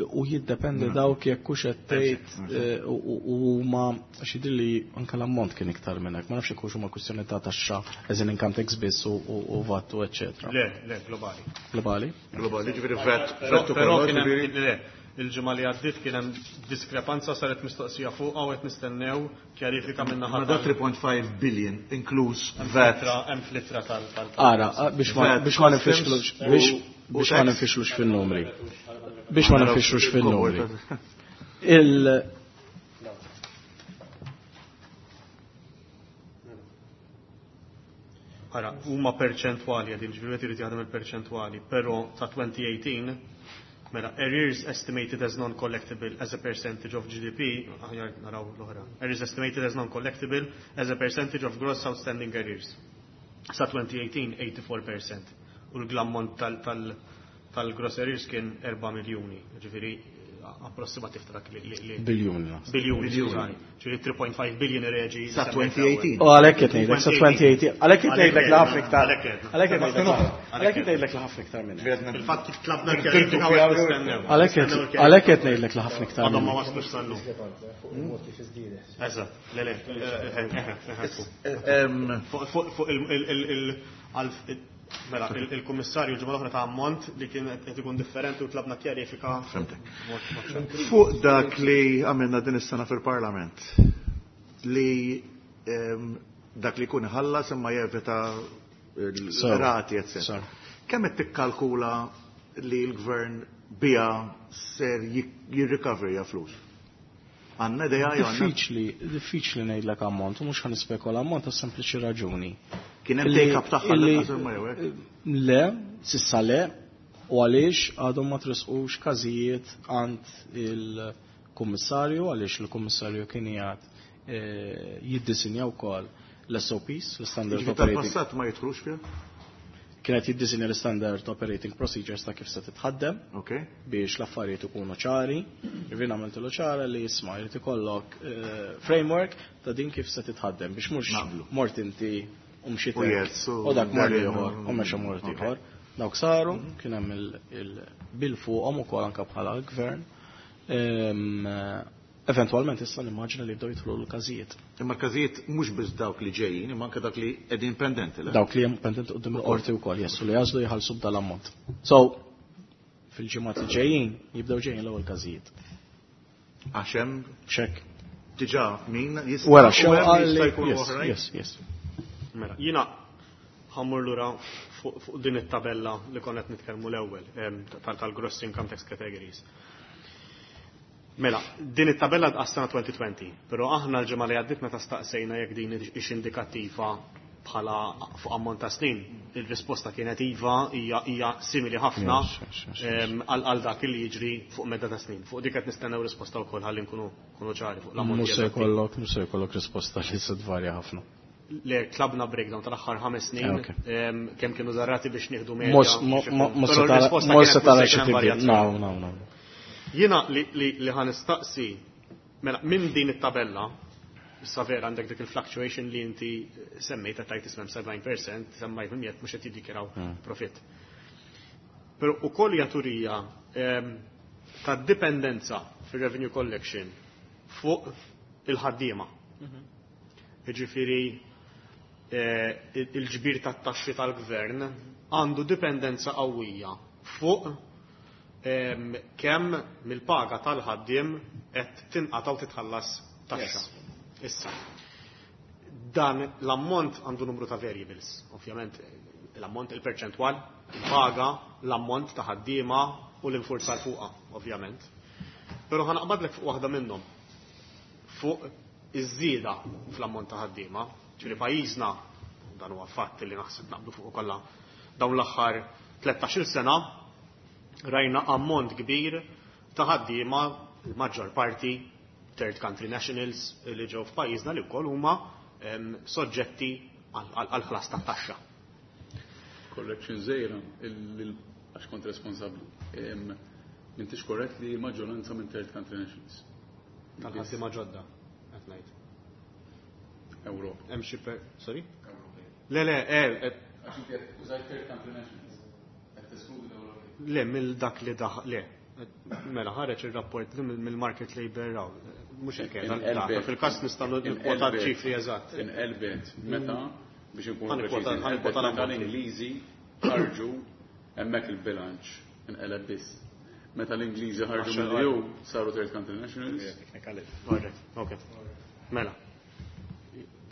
U jiddependi dawk jekk hux qed tgħid u ma għax jidhirli anke l-ammont kien iktar minn hekk, ma nafx jekk hux huma kwistjoni ta' taxxa as in income tax biss u VAT u eċċetera. Le, le, globali. Globali? Globali, ġifieri VAT, Però VAT però ukoll, kien hemm ġifieri. le, il-ġimgħa li għaddiet kien hemm diskrepanza saret mistoqsija fuq u qed nistennew kjarifika minn naħa Ma da 3.5 billion inkluż VAT. hemm flittra tal tal Ara, biex ma VAT, biex ma customs nifixlux biex biex ma tax. nifixlux fin-numri. Biex ma nifixlux fin-numri. Il Ara, huma perċentwali għadin, ġifieri wieħed irid jaħdem il-perċentwali, però ta' 2018 mela arrears estimated as non-collectible as a percentage of GDP, aħjar naraw l-oħra. Arrears estimated as non-collectible as a percentage of gross outstanding arrears. Sa 2018 84%. U l-ammont tal-gross arrears kien 4 miljuni, ġifieri approssimativ ta' dak li biljuni. naħseb. biljuni, skużani. Ġifieri 3.5 billion reġi. Sa 2018. U għalhekk qed ngħidlek sa 2018, għalhekk qed ngħidlek li ħafna iktar. Għalhekk qed. Għalhekk qed ngħidlek li ħafna iktar minn hekk. Fil-fatt tlabna kjarifika u qed nistennew. Għalhekk qed ngħidlek li ħafna iktar Għadhom minn ma hekk. waslux sal-lum. Eżatt, le le, Fuq mela, il-kummissarju ġimgħa l-oħra ta' ammont li kien qed ikun differenti u tlabna kjarifika. Fhimtek. Fuq dak li għamilna din is-sena fil-Parlament li dak li jkun iħallas imma jevita l-rati, etc. Sew. Kemm qed tikkalkula li l-gvern bija ser jirrikaverja flus? Għandna idea jew għandna? Diffiċli, diffiċli ngħidlek ammont, u mhux ħa nispekula ammont għas sempliċi raġuni. Kien hemm take-up tagħha l-inqas imma jew hekk? Le, sissa le, U għaliex għadhom ma tresqux każijiet għand il-kummissarju, għaliex il-kummissarju kien qiegħed jiddisinja wkoll l-SOPs, l-Standard Ġifieri Operating. Tal-passat ma jidħlux fiha? Kienet jiddisinja l-Standard Operating Procedures ta' kif se titħaddem biex l-affarijiet ikunu ċari. Ġifieri għamiltilu ċara li jisma' jrid ikollok framework ta' din kif se titħaddem biex mhux mort inti u mxiet U hekk, jers, u u dak mort darin, ieħor u mexa mort ieħor. Dawk saru, kien hemm il-bil fuqhom ukoll anke bħala gvern. Eventualment issa nimmaġina li jibdew jidħlu l-każijiet. Imma l-każijiet mhux biss dawk li ġejjin, imma anke dawk li qegħdin pendenti, le? Dawk li hemm pendenti quddiem il-qorti wkoll, jessu li jażlu jħallsu b'dal-ammont. So, fil-ġimgħat li ġejjin jibdew ġejjin l-ewwel każijiet. Għax hemm Xek. Diġà min jista' Wara u xewqa hemm jista' li jkunu yes, oħrajn? yes. Mela, jiena ħammur lura fuq din it-tabella li konna qed nitkellmu l-ewwel tal-gross income tax categories. Mela, din it-tabella għas-sena 2020, però aħna l-ġimgħa li għaddiet meta staqsejna jekk din hix indikattiva bħala fuq ammont ta' snin, il-risposta kienet iva, hija simili ħafna għal dak li jiġri fuq medda ta' snin. Fuq dik qed nistennew risposta wkoll ħalli nkunu ċari fuq l-ammont. Mhux se jkollok, mhux se jkollok risposta li se tvarja ħafna. Le, tlabna breakdown tal-aħħar 5 snin, kemm kienu żarrati biex nieħdu medja. Mhux biex ikun. Però r-risposta mhux se kienet tara mhux se xi jkun hemm tibdil. varjazzjoni. No, no, no. Jiena li ħa nistaqsi, mela, minn din it-tabella, issa vera għandek dik il-fluctuation li inti semmejt qed tgħid ismem 70%, semmejt minn jekk mhux qed jiddikjaraw profit. Però ukoll hija turija ta' dipendenza fir-revenue collection fuq il-ħaddiema. Jiġifieri il-ġbir tat-taxxi tal-gvern għandu dipendenza qawwija fuq kemm mill-paga tal-ħaddiem qed tinqata' u titħallas taxxa. Issa, dan l-ammont għandu numru ta' variables, ovvjament l-ammont, il-perċentwal, il-paga, l-ammont ta' ħaddiema u l-infurzar fuqha, ovvjament. Però ħa naqbadlek fuq waħda minnhom, fuq iż-żieda fl-ammont ta' ħaddiema, ġifieri pajjiżna, dan huwa fatt li naħseb naqblu fuq kollha, dawn l-aħħar 13-il sena rajna ammont kbir ta' ħaddiema, il-maġġor parti third country nationals li ġew f'pajjiżna li wkoll huma soġġetti għal ħlas ta' taxxa. Correction żgħira, għax kont responsabbli. M'intix korrett li maġġoranza minn third country nationals. Tal-ħaddiema ġodda, qed ngħid. Ewropa. Hemm xi per, sorry? Le, le, Għax inti qed użajt third country nationals. Qed teskludi l-Ewropej. Le, mill dak li daħ, le. Mela, ħareġ ir-rapport li mill-market labor raw. Mhux hekk qiegħda l-data. Fil-każ nistgħu nikkwota ċifri eżatt. Inqelbet meta biex inkunu Ħa nikkwota- preċiżi, ħa nikkwota inqelbet meta l-ammonti. l-Ingliżi ħarġu hemmhekk il-bilanċ inqeleb biss. Meta l-Ingliżi ħarġu Għaxar mill-EU saru third country nationals. Alright, ok. Mela.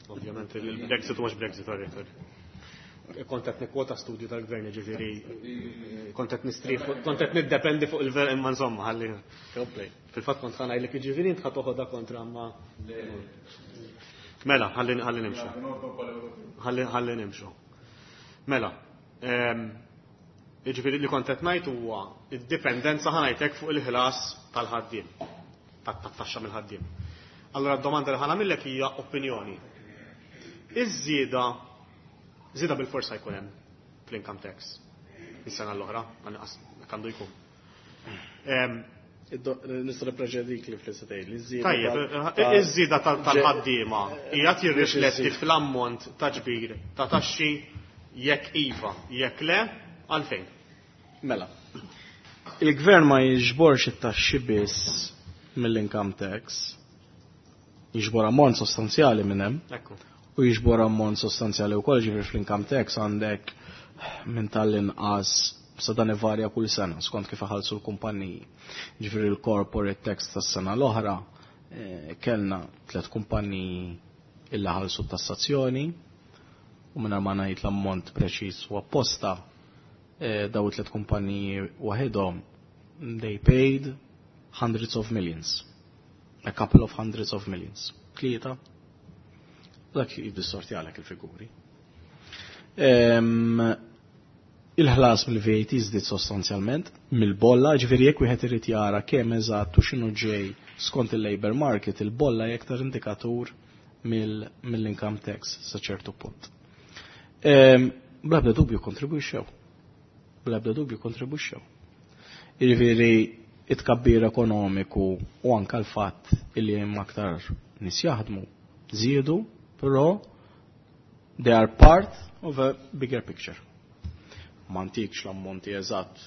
Ovvjament il-Brexit u mhux Brexit, alright, alright. Kont qed nikkwota studju tal-gvern, ġifieri kont qed nistrieħ, kont qed niddependi fuq il-ver imma insomma ħalli. Fil-fatt kont ħa ngħidlek jiġifieri int ħa toħodha kontra ma. Mela, ħalli nimxu. Ħalli nimxu. Mela, jiġifieri li kont qed ngħid huwa id-dipendenza ħa ngħidlek fuq il-ħlas tal-ħaddiem, tat-taxxa mill-ħaddiem. Allora d-domanda li ħa nagħmillek hija opinjoni. Iż-żieda, żieda bil-forsa jkun hemm fl-income tax is-sena l-oħra, għanqas għandu jkun. Nista' nippreċedik li fl tgħid li żieda Tajjeb, iż-żieda tal-ħaddiema hija tirrifletti fl-ammont ta' ġbir ta' taxxi jekk iva, jekk le, għalfejn. Mela. Il-gvern ma jiġborx it-taxxi biss mill-income tax, jiġbor ammont sostanzjali minn hemm. U jiġbor ammont sostanzjali wkoll, ġifieri fl-income tax għandek minn tal-inqas sa dan ivarja kull sena skont kif iħallsu l-kumpaniji. Ġifieri l-corporate tax tas-sena l-oħra kellna 3 kumpaniji illa ħallsu tassazzjoni u mingħajr ma ngħid l-ammont preċiż u apposta daw it-tliet kumpaniji waħedhom they paid hundreds of millions. A couple of hundreds of millions. 3. Dak jiddistorti għalek il-figuri. Il-ħlas mill-VAT żdied sostanzjalment mill-bolla, ġifieri jekk wieħed irid jara kemm eżatt u x'inhu ġej skont il-labor market, il-bolla hija aktar indikatur mill-income tax sa ċertu punt. Bla ebda dubju kontribwixxew. Bla ebda dubju kontribwixxew. Jiġifieri it-tkabbir ekonomiku u anka l-fatt illi hemm aktar nies jaħdmu żiedu, però they are part of a bigger picture. Ma ntikx l-ammonti eżatt.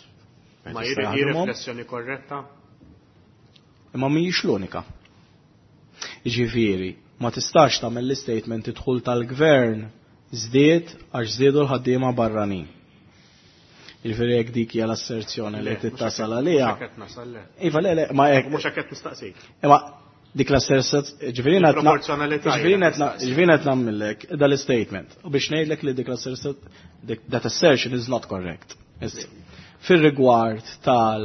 Ma hi riflessjoni korretta? Imma mhijiex l-unika. Jiġifieri, ma tistax tagħmel l-istatement id-dħul tal-gvern żdied għax żdiedu l-ħaddiema barranin. Jiġifieri jekk dik hija l-asserzjoni li qed tasal għaliha. Mhux hekk nasal le. Iva le le, ma hekk. Mhux hekk qed nistaqsik. Imma dik l-asserzjoni, ġifieri ġifieri qed nagħmellek dal-statement. U biex ngħidlek li dik l-asserzjoni, that assertion is not correct. Fir-rigward tal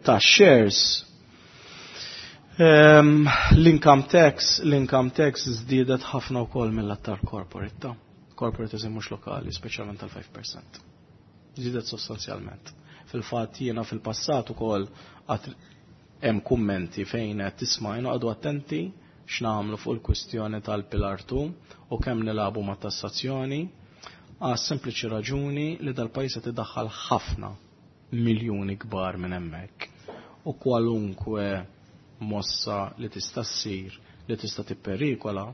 ta' shares, l-income tax żdiedet ħafna wkoll mill-attar corporate ta' corporate eżem mhux lokali, speċjalment tal-5%. Żdiedet sostanzjalment. Fil-fatt jiena fil-passat ukoll hemm kummenti fejn qed tisma' għadu attenti x'nagħmlu fuq il-kwistjoni tal-Pillar 2 u kemm nilagħbu ma' tassazzjoni għas sempliċi raġuni li dal-pajjiż qed idaħħal ħafna miljuni kbar minn hemmhekk. U kwalunkwe mossa li tista' ssir li tista' tipperikola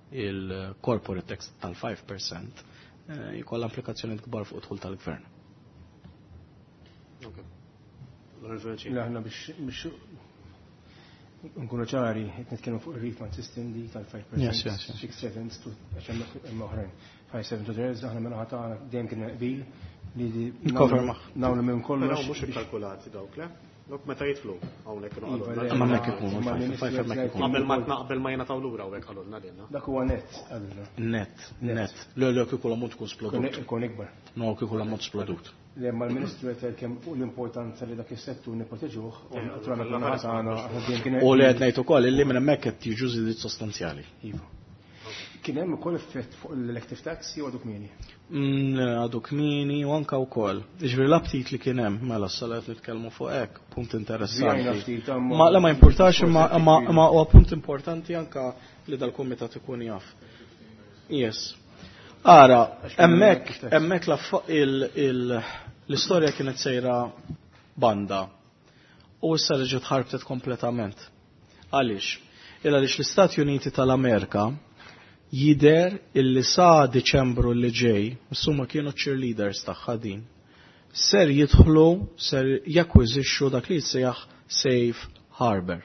il-corporate tax tal-5% jkollha implikazzjoni kbar fuq dħul tal-gvern. Aħna biex nkunu ċari, qed nitkellmu fuq il-refund system di tal-5%. Yes. 6, 7, għax hemm oħrajn. 5, 7 to 3, aħna minn tagħna dejjem kien qbil li nagħmlu minn kollox. Però mhux ikkalkulati dawk, le? Dawk meta jidħlu hawnhekk kienu Iva, qalulna. Ma hemmhekk ikunu, five hemmhekk ikunu. Qabel ma jingħataw lura hawnhekk qalulna lilna. Dak huwa net qalulna. Net. Le, kieku l-ammont ikun splodut. Ikun ikbar. No, kieku l-ammont splodut. Le, ma l-Ministru qed kemm fuq l-importanza li dak is-settur nipproteġuh u naturalment minn ħadd tagħna aħna dejjem kien U li qed ngħid ukoll illi minn hemmhekk qed jiġu żidiet sostanzjali. Iva. Kien hemm ukoll effett fuq l-elective tax jew għadu kmieni? Għadu kmieni u anka wkoll. Ġifieri l-aptit li kien hemm mela s-salat nitkellmu fuq hekk, punt interessanti. Żjajna ftit, amma- Ma la ma importax imma huwa punt importanti anka li dal-kumitat ikun jaf. Yes. Ara, hemmhekk l-istorja kienet sejra banda u issa reġgħet ħarbtet kompletament. Għaliex? Il għaliex l-Istati Uniti tal-Amerika jider illi sa Deċembru li ġej, insomma kienu cheerleaders tagħha din, ser jidħlu, ser jakkwizixxu dak li jissejjaħ safe harbor.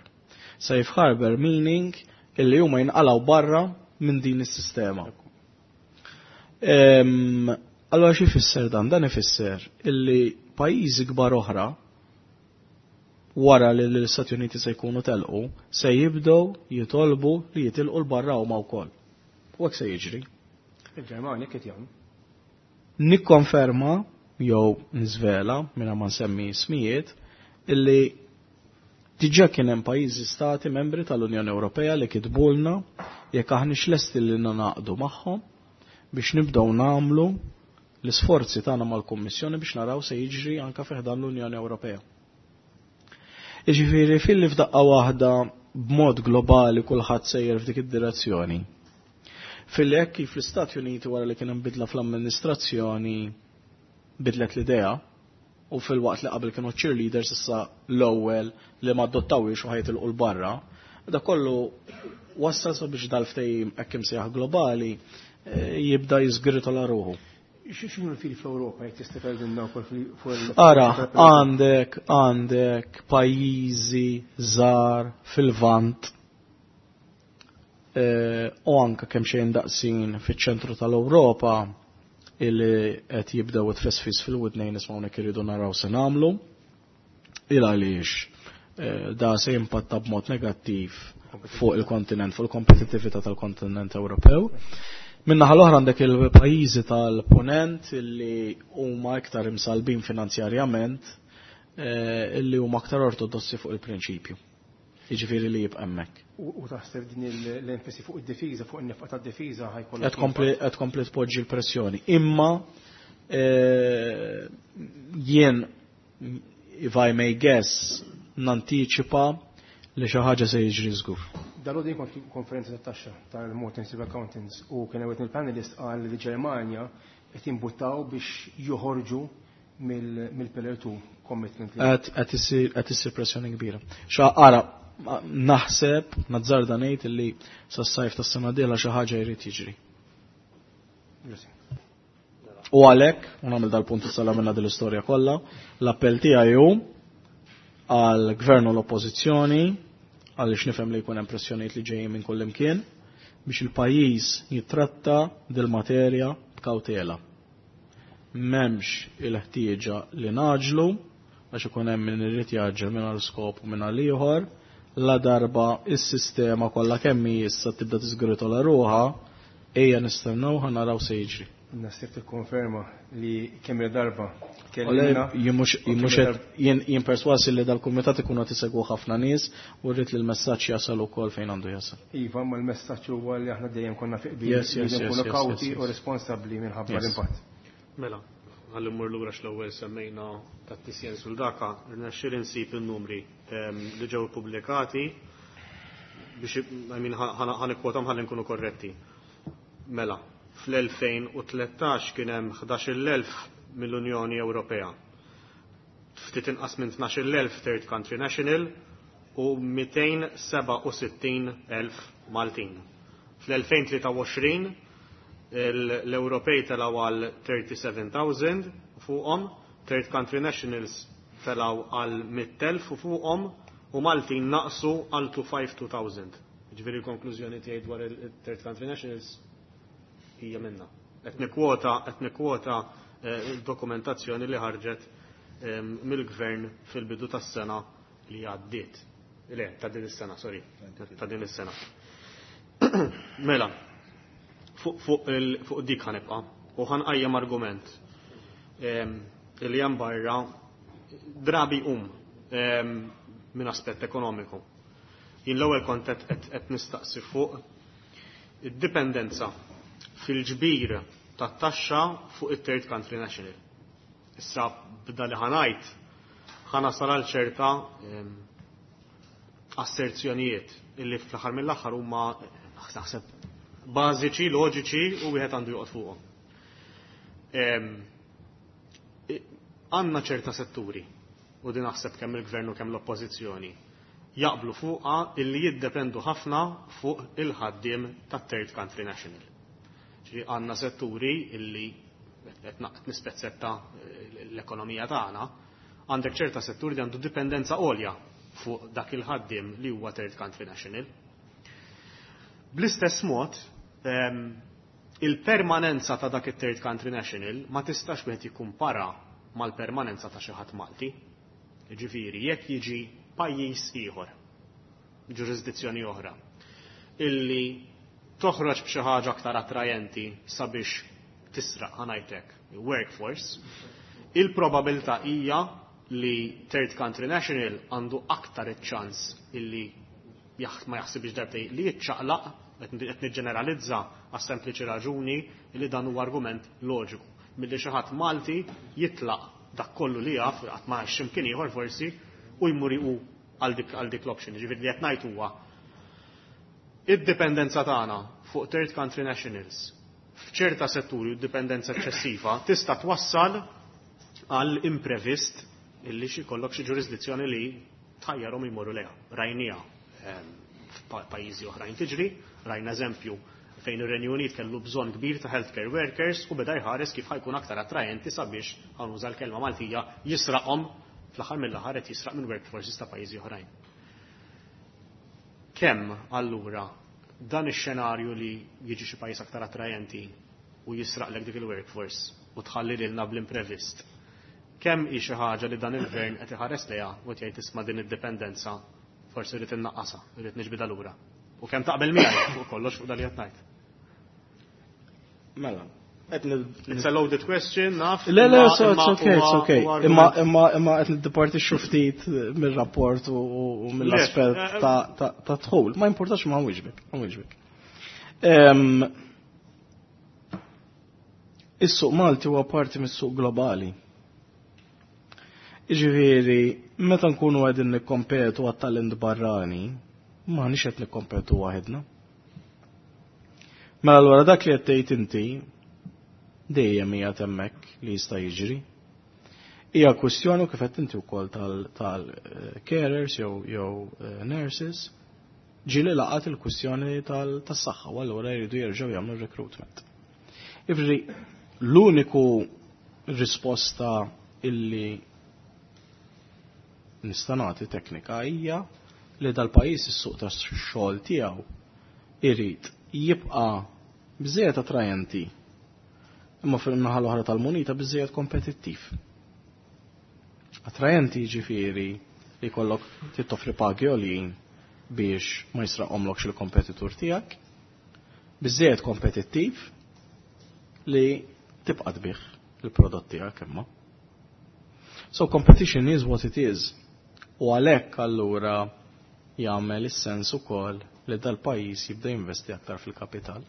Safe harbor meaning illi huma jinqalgħu barra minn din is-sistema. Allora xi jfisser dan? Dan ifisser illi pajjiżi kbar oħra wara li l-Istati Uniti se jkunu telqu, se jibdew jitolbu li jitilqu l-barra huma wkoll. U hekk se jiġri. Il-Ġermanja qed jagħmlu. Nikkonferma jew nżvela minn ma nsemmi ismijiet illi diġà kien hemm pajjiżi stati membri tal-Unjoni Ewropea li kitbulna jekk aħniex lesti li naqdu magħhom biex nibdew nagħmlu l-isforzi tagħna mal-Kummissjoni biex naraw se jiġri anke fi ħdan l-Unjoni Ewropea. Jiġifieri filli f'daqqa waħda b'mod globali kulħadd sejjer f'dik id-direzzjoni. Filli hekk kif l-Istati Uniti wara li kien hemm bidla fl-amministrazzjoni bidlet l-idea u fil-waqt li qabel kienu cheerleaders issa l-ewwel li ma adottawiex u ħajtilqu l-barra, da kollu wassal sabiex dal-ftehim hekk imsejjaħ globali jibda jiżgritola ruħu. X'inhu l-fili fl-Ewropa jekk tista' tgħidilna wkoll fuq Ara, għandek pajjiżi żgħar fil-Lvant u anka kemm xejn daqsin fiċ-ċentru tal-Ewropa illi qed jibdew it-tfesfis fil-widnejn nismgħu hawnhekk iridu naraw se nagħmlu. Il għaliex da se jimpatta b'mod negattiv fuq il-kontinent, fuq il-kompetittività tal-kontinent Ewropew. Minnaħa l-oħra għandek il-pajjiżi tal-ponent illi huma iktar imsalbin finanzjarjament, illi huma aktar ortodossi fuq il-prinċipju. Jiġifieri li jibqa' hemmhekk. U taħseb din l-enfasi fuq id-difiża, fuq in-nefqa tad-difiża ħa jkollha Qed tkompli tpoġġi l-pressjoni. Imma jien, if I may guess, nantiċipa li xi ħaġa se jiġri żgur. Dalgħodu jien kont konferenza tat-taxxa tal-Malta Institute of Accountants u kien hemm il-panelist qal li Ġermanja qed jimbuttaw biex joħorġu mill-Pillar 2 commitment. Qed issir pressjoni kbira. Xa ara, naħseb, nazzarda ngħid li sas-sajf tas-sena dieħla xi ħaġa jrid jiġri. U għalhekk, u nagħmel dal-punt issa minna din l-istorja kollha, l-appell tiegħi hu għall-gvern u l-oppożizzjoni, għaliex nifhem li jkun hemm pressjonijiet li ġejjin minn kull imkien, biex il-pajjiż jittratta dil-materja b'kawtela. M'hemmx il-ħtieġa li naġlu, għax ikun hemm min irid jaġġel minn għal skop u minn għal ieħor, la darba is-sistema kollha kemm hi issa tibda tiżgritola ruħha, ejja nistennew ħa naraw se jiġri. Naħseb tikkonferma li kemm darba Ole, jien mhux jien mhux qed jien perswasi li dal-kumitat ikunu qed isegwu ħafna nies u rrid li l-messaġġ jasal ukoll fejn għandu jasal. Iva, ma l-messaġġ huwa li aħna dejjem konna fi qbil li nkunu kawti u responsabbli minħabba l-impatt. Mela, ħalli mmur lura x'l-ewwel semmejna tat-TCN sul daka, rnexxieli nsib in-numri li ġew ippubblikati biex, I mean, ħa nikkwotom ħalli nkunu korretti. Mela, fl-2013 kien hemm 11,000 mill-Unjoni Ewropea. Ftit inqas minn 12,000 third country national u 267,000 Maltin. Fl-2023 l-Ewropej telaw għal 37,000 fuqhom, third country nationals telaw għal 100,000 u fuqhom u Maltin naqsu għal 252,000. Ġifieri l-konklużjoni tiegħi dwar il-third country nationals hija minna. Qed nikkwota dokumentazzjoni li ħarġet mill-gvern fil-bidu tas-sena li għaddiet. Le, ta' din is-sena, sorry, ta' din is-sena. Mela, fuq dik ħa nibqa' u ħa nqajjem argument li hemm barra drabi minn aspett ekonomiku. Jien l-ewwel kont qed nistaqsi fuq id-dipendenza fil-ġbir tat-taxxa fuq it-third country national. Issa b'da li ħa ngħid ħa nasal għal ċerta asserzjonijiet illi fl-aħħar mill-aħħar huma naħseb bażiċi, loġiċi u wieħed għandu joqgħod fuqhom. Għandna ċerta setturi u din naħseb kemm il-gvern u kemm l-oppożizzjoni jaqblu fuqha illi jiddependu ħafna fuq il-ħaddiem tat-third country national. Ġifieri għandna setturi illi qed nispezzetta l-ekonomija tagħna, għandek ċerta setturi li għandu dipendenza għolja fuq dak il-ħaddiem li huwa third country national. Bl-istess mod, il-permanenza ta' dak it-third country national ma tistax wieħed jikkumpara mal-permanenza ta' xi ħadd Malti. Ġifieri, jekk jiġi pajjiż ieħor, ġurisdizzjoni oħra, illi toħroġ b'xi ħaġa aktar attrajenti sabiex tisraq, ħa ngħidlek, workforce, il-probabilità hija li third country national għandu aktar iċ-ċans illi ma jaħsibx darbtej li jiċċaqlaq, qed niġġeneralizza għas sempliċi raġuni li dan huwa argument loġiku. Milli xi ħadd Malti jitlaq dak kollu li jaf, qatt ma x'imkien ieħor forsi, u jmur u għal dik l-option. Ġifieri li qed ngħid huwa id-dipendenza tagħna fuq third country nationals f'ċerta setturi u dipendenza eċċessiva tista' twassal għal imprevist illi xi kollok xi ġurisdizzjoni li tħajjarhom jmorru lejha. Rajnija f'pajjiżi oħrajn tiġri, rajna eżempju fejn ir-Renju Unit kellu bżonn kbir ta' healthcare workers u beda jħares kif ħa jkun aktar attrajenti sabiex, ħa nuża l-kelma Maltija, jisraqhom, fl-aħħar mill-aħħar qed jisraq minn workforces ta' pajjiżi oħrajn. Kemm allura dan ix-xenarju li jiġi xi pajjiż aktar attrajenti u jisraqlek dik il-workforce u tħalli lilna bl-imprevist? Kemm hi xi ħaġa li dan il-gvern qed iħares lejha u qed jgħid, "Isma', din id-dipendenza forsi rrid innaqqasha, rrid niġbidha lura"? U kemm taqbel miegħi fuq kollox fuq dan li qed ngħid? Mela, It's a loaded question, naf. Le, le, so it's okay, it's okay. Imma imma imma qed niddepartixxu ftit mir-rapport u mill-aspett eh, ta' dħul. Ma importax ma nwieġbek, ma nwieġbek. Is-suq Malti huwa parti mis-suq globali. Jiġifieri, meta nkunu qegħdin nikkompetu għat-talent barrani, m'aħniex qed nikkompetu waħedna. Mela allura dak li qed tgħid inti dejjem hija hemmhekk li jista' jiġri. Hija kwistjoni kif qed inti wkoll tal-carers jew eh, nurses ġieli laqat il-kwistjoni tas-saħħa u allura jridu jerġgħu jagħmlu recruitment. Ifri, l-uniku risposta illi nista' nagħti teknika hija li dal-pajjiż is-suq tax-xogħol tiegħu irid jibqa' biżejjed attrajenti imma fil-naħa l-oħra tal-munita biżejjed kompetittiv. Attrajenti jiġifieri li jkollok tittoffri pagi għoljin biex ma jisraqhomlokx il-kompetitur tiegħek, biżejjed kompetittiv li tibqa' tbigħ il-prodott tiegħek imma. So competition is what it is. U għalhekk allura jagħmel is-sens ukoll li dal-pajjiż jibda jinvesti aktar fil-kapital.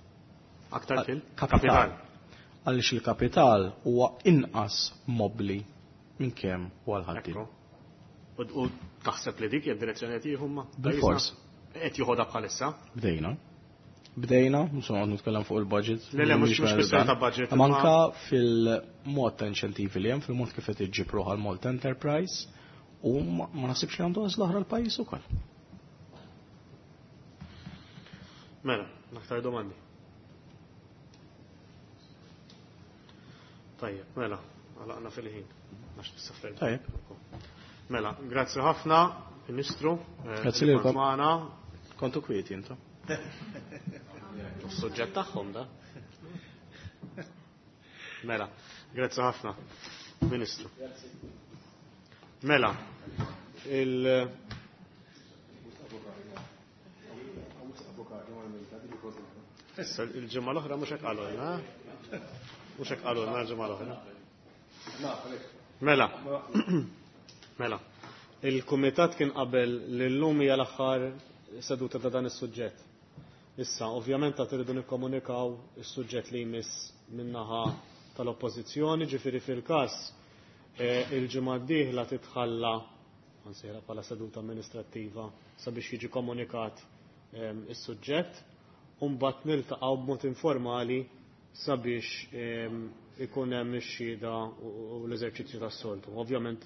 Aktar fil? Kapital. Għaliex il-kapital huwa inqas mobbli minn kemm huwa l-ħaddiem. U taħseb li dik hija d-direzzjoni qed jieħu ma? Bilfors. Qed jieħodha bħalissa? Bdejna. Bdejna, mhux noqgħod nitkellem fuq il-budget. Le, le, mhux kwistjoni ta' budget. Imma anka fil-mod ta' inċentivi li hemm, fil-mod kif qed iġġib ruħha l-Malta Enterprise, u ma naħsibx li għandu għażla oħra l-pajjiż ukoll. Mela, aktar domandi. Tajjeb, mela, għalaqna fil-ħin. Għax tista' Tajjeb. Mela, grazzi ħafna, Ministru. Eh, grazzi lilkom. Kontu kwieti intom. Suġġett tagħhom da. Mela, grazzi ħafna, Ministru. Mela, il- Issa, il-ġimgħa l-oħra mhux hekk qalulna. Eh? Mhux hekk qalulna l-ġimgħa l-oħra. Mela. Mela. Il-kumitat kien qabel li llum hija l-aħħar seduta ta' dan is-suġġett. Issa, ovvjament ta' tridu nikkomunikaw is-suġġett li jmiss min-naħa tal-Oppożizzjoni, ġifieri fil-każ eh, il-ġimgħa d-dieħla titħalla nsejħilha bħala seduta amministrattiva sabiex jiġi komunikat ehm, is-suġġett u mbagħad niltaqgħu b'mod informali sabiex ehm, ikun hemm ix-xhieda u l-eżerċizzju tas-soltu. Ovvjament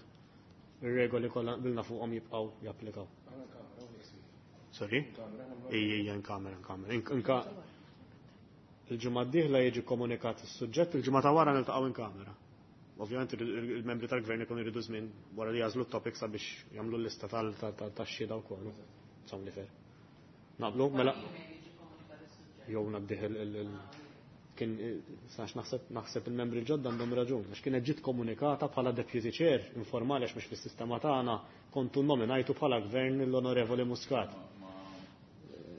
ir-regoli kollha qbilna fuqhom jibqgħu japplikaw. Sorry? Ejja, in kamera, in kamera. Il-ġimgħa d-dieħla jiġi komunikat is-suġġett, il-ġimgħa ta' wara niltaqgħu in kamera. Ovvjament il-membri tal-gvern ikunu jridu żmien wara li jażlu t-topic sabiex jagħmlu l-lista tax-xhieda wkoll. Insomma li fer. Naqblu? Mela. Jew ngħaddih il kien sax naħseb naħseb il-membri ġodda għandhom raġun għax kienet ġiet komunikata bħala deputy chair informali għax mhux fis-sistema tagħna kontu nominajtu bħala gvern l-Onorevoli Muscat.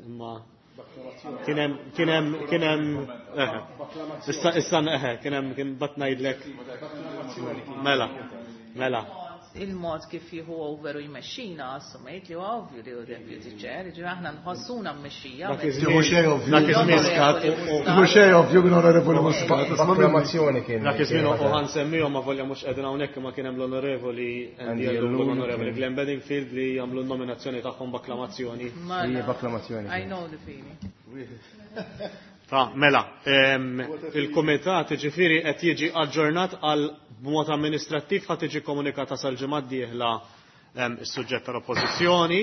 Imma kien hemm kien hemm kien hemm issa issa eħe kien hemm kien bat ngħidlek mela mela il-mod kif jieħu over u jmexxina assumejt li huwa ovvju li hu deputy chair, jiġifieri aħna nħossuna mmexxija. Dak iż-żmien dak iż-żmien Mhux xejn ovvju minn Onorevoli Muscat. Akklamazzjoni kien. Dak iż-żmien u ħansemmihom ma volja mhux qegħdin hawnhekk imma kien hemm l-Onorevoli Andy Ellul u l-Onorevoli Glenn Bedingfield li jagħmlu n-nominazzjoni tagħhom b'akklamazzjoni. Hija b'akklamazzjoni. I know the feeling. Ta' mela, il-kumitat ġifieri qed jiġi aġġornat għal b'mod amministrattiv ħa tiġi komunikata sal-ġimgħa d-dieħla is-suġġett tal-Oppożizzjoni.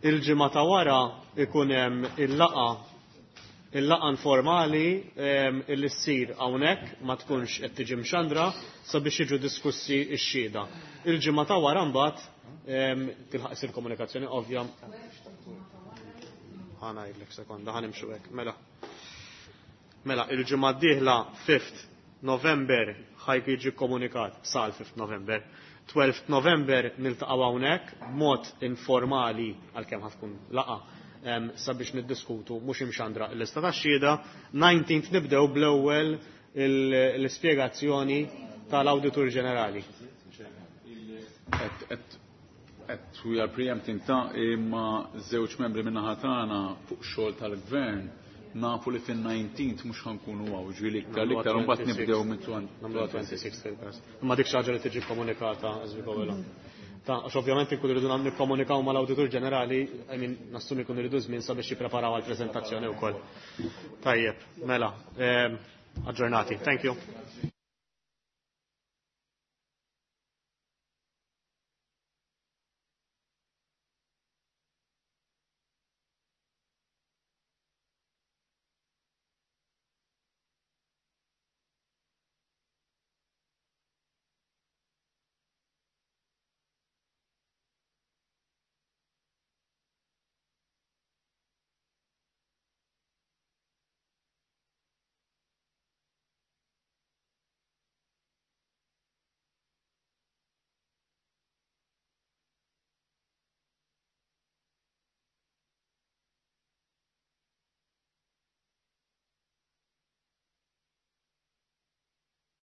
Il-ġimgħa ta' wara ikun hemm il-laqgħa il-laqgħa informali illi ssir hawnhekk ma tkunx qed tiġi mxandra sabiex jiġu diskussi x-xhieda. Il-ġimgħa ta' wara mbagħad tilħaq isir komunikazzjoni ovvja. Ħa ngħidlek sekonda, ħa nimxu hekk. Mela. Mela, il-ġimgħa d-dieħla 5th November ħaj jiġi komunikat sal 5th November. 12th November niltaqgħu hawnhekk b'mod informali għalkemm ħa tkun laqgħa sabiex niddiskutu mhux imxandra l-lista tax-xhieda. 19th nibdew bl-ewwel l-ispjegazzjoni tal-Awditur Ġenerali. Et we are preempting ta' imma żewġ membri min-naħa tagħna fuq xogħol tal-gvern nafu li fin-19th mhux ħa nkunu hawn, ġifieri iktar l-iktar mbagħad nibdew minn Nagħmluha 26 fil-każ. Imma dik xi ħaġa li tiġi komunikata as we go along. Ta' għax ovvjament inkunu rridu nikkomunikaw mal-Awditur Ġenerali, I mean, nassumi jkunu rridu żmien sabiex jippreparaw għall-preżentazzjoni wkoll. Tajjeb, mela, aġġornati. Thank you.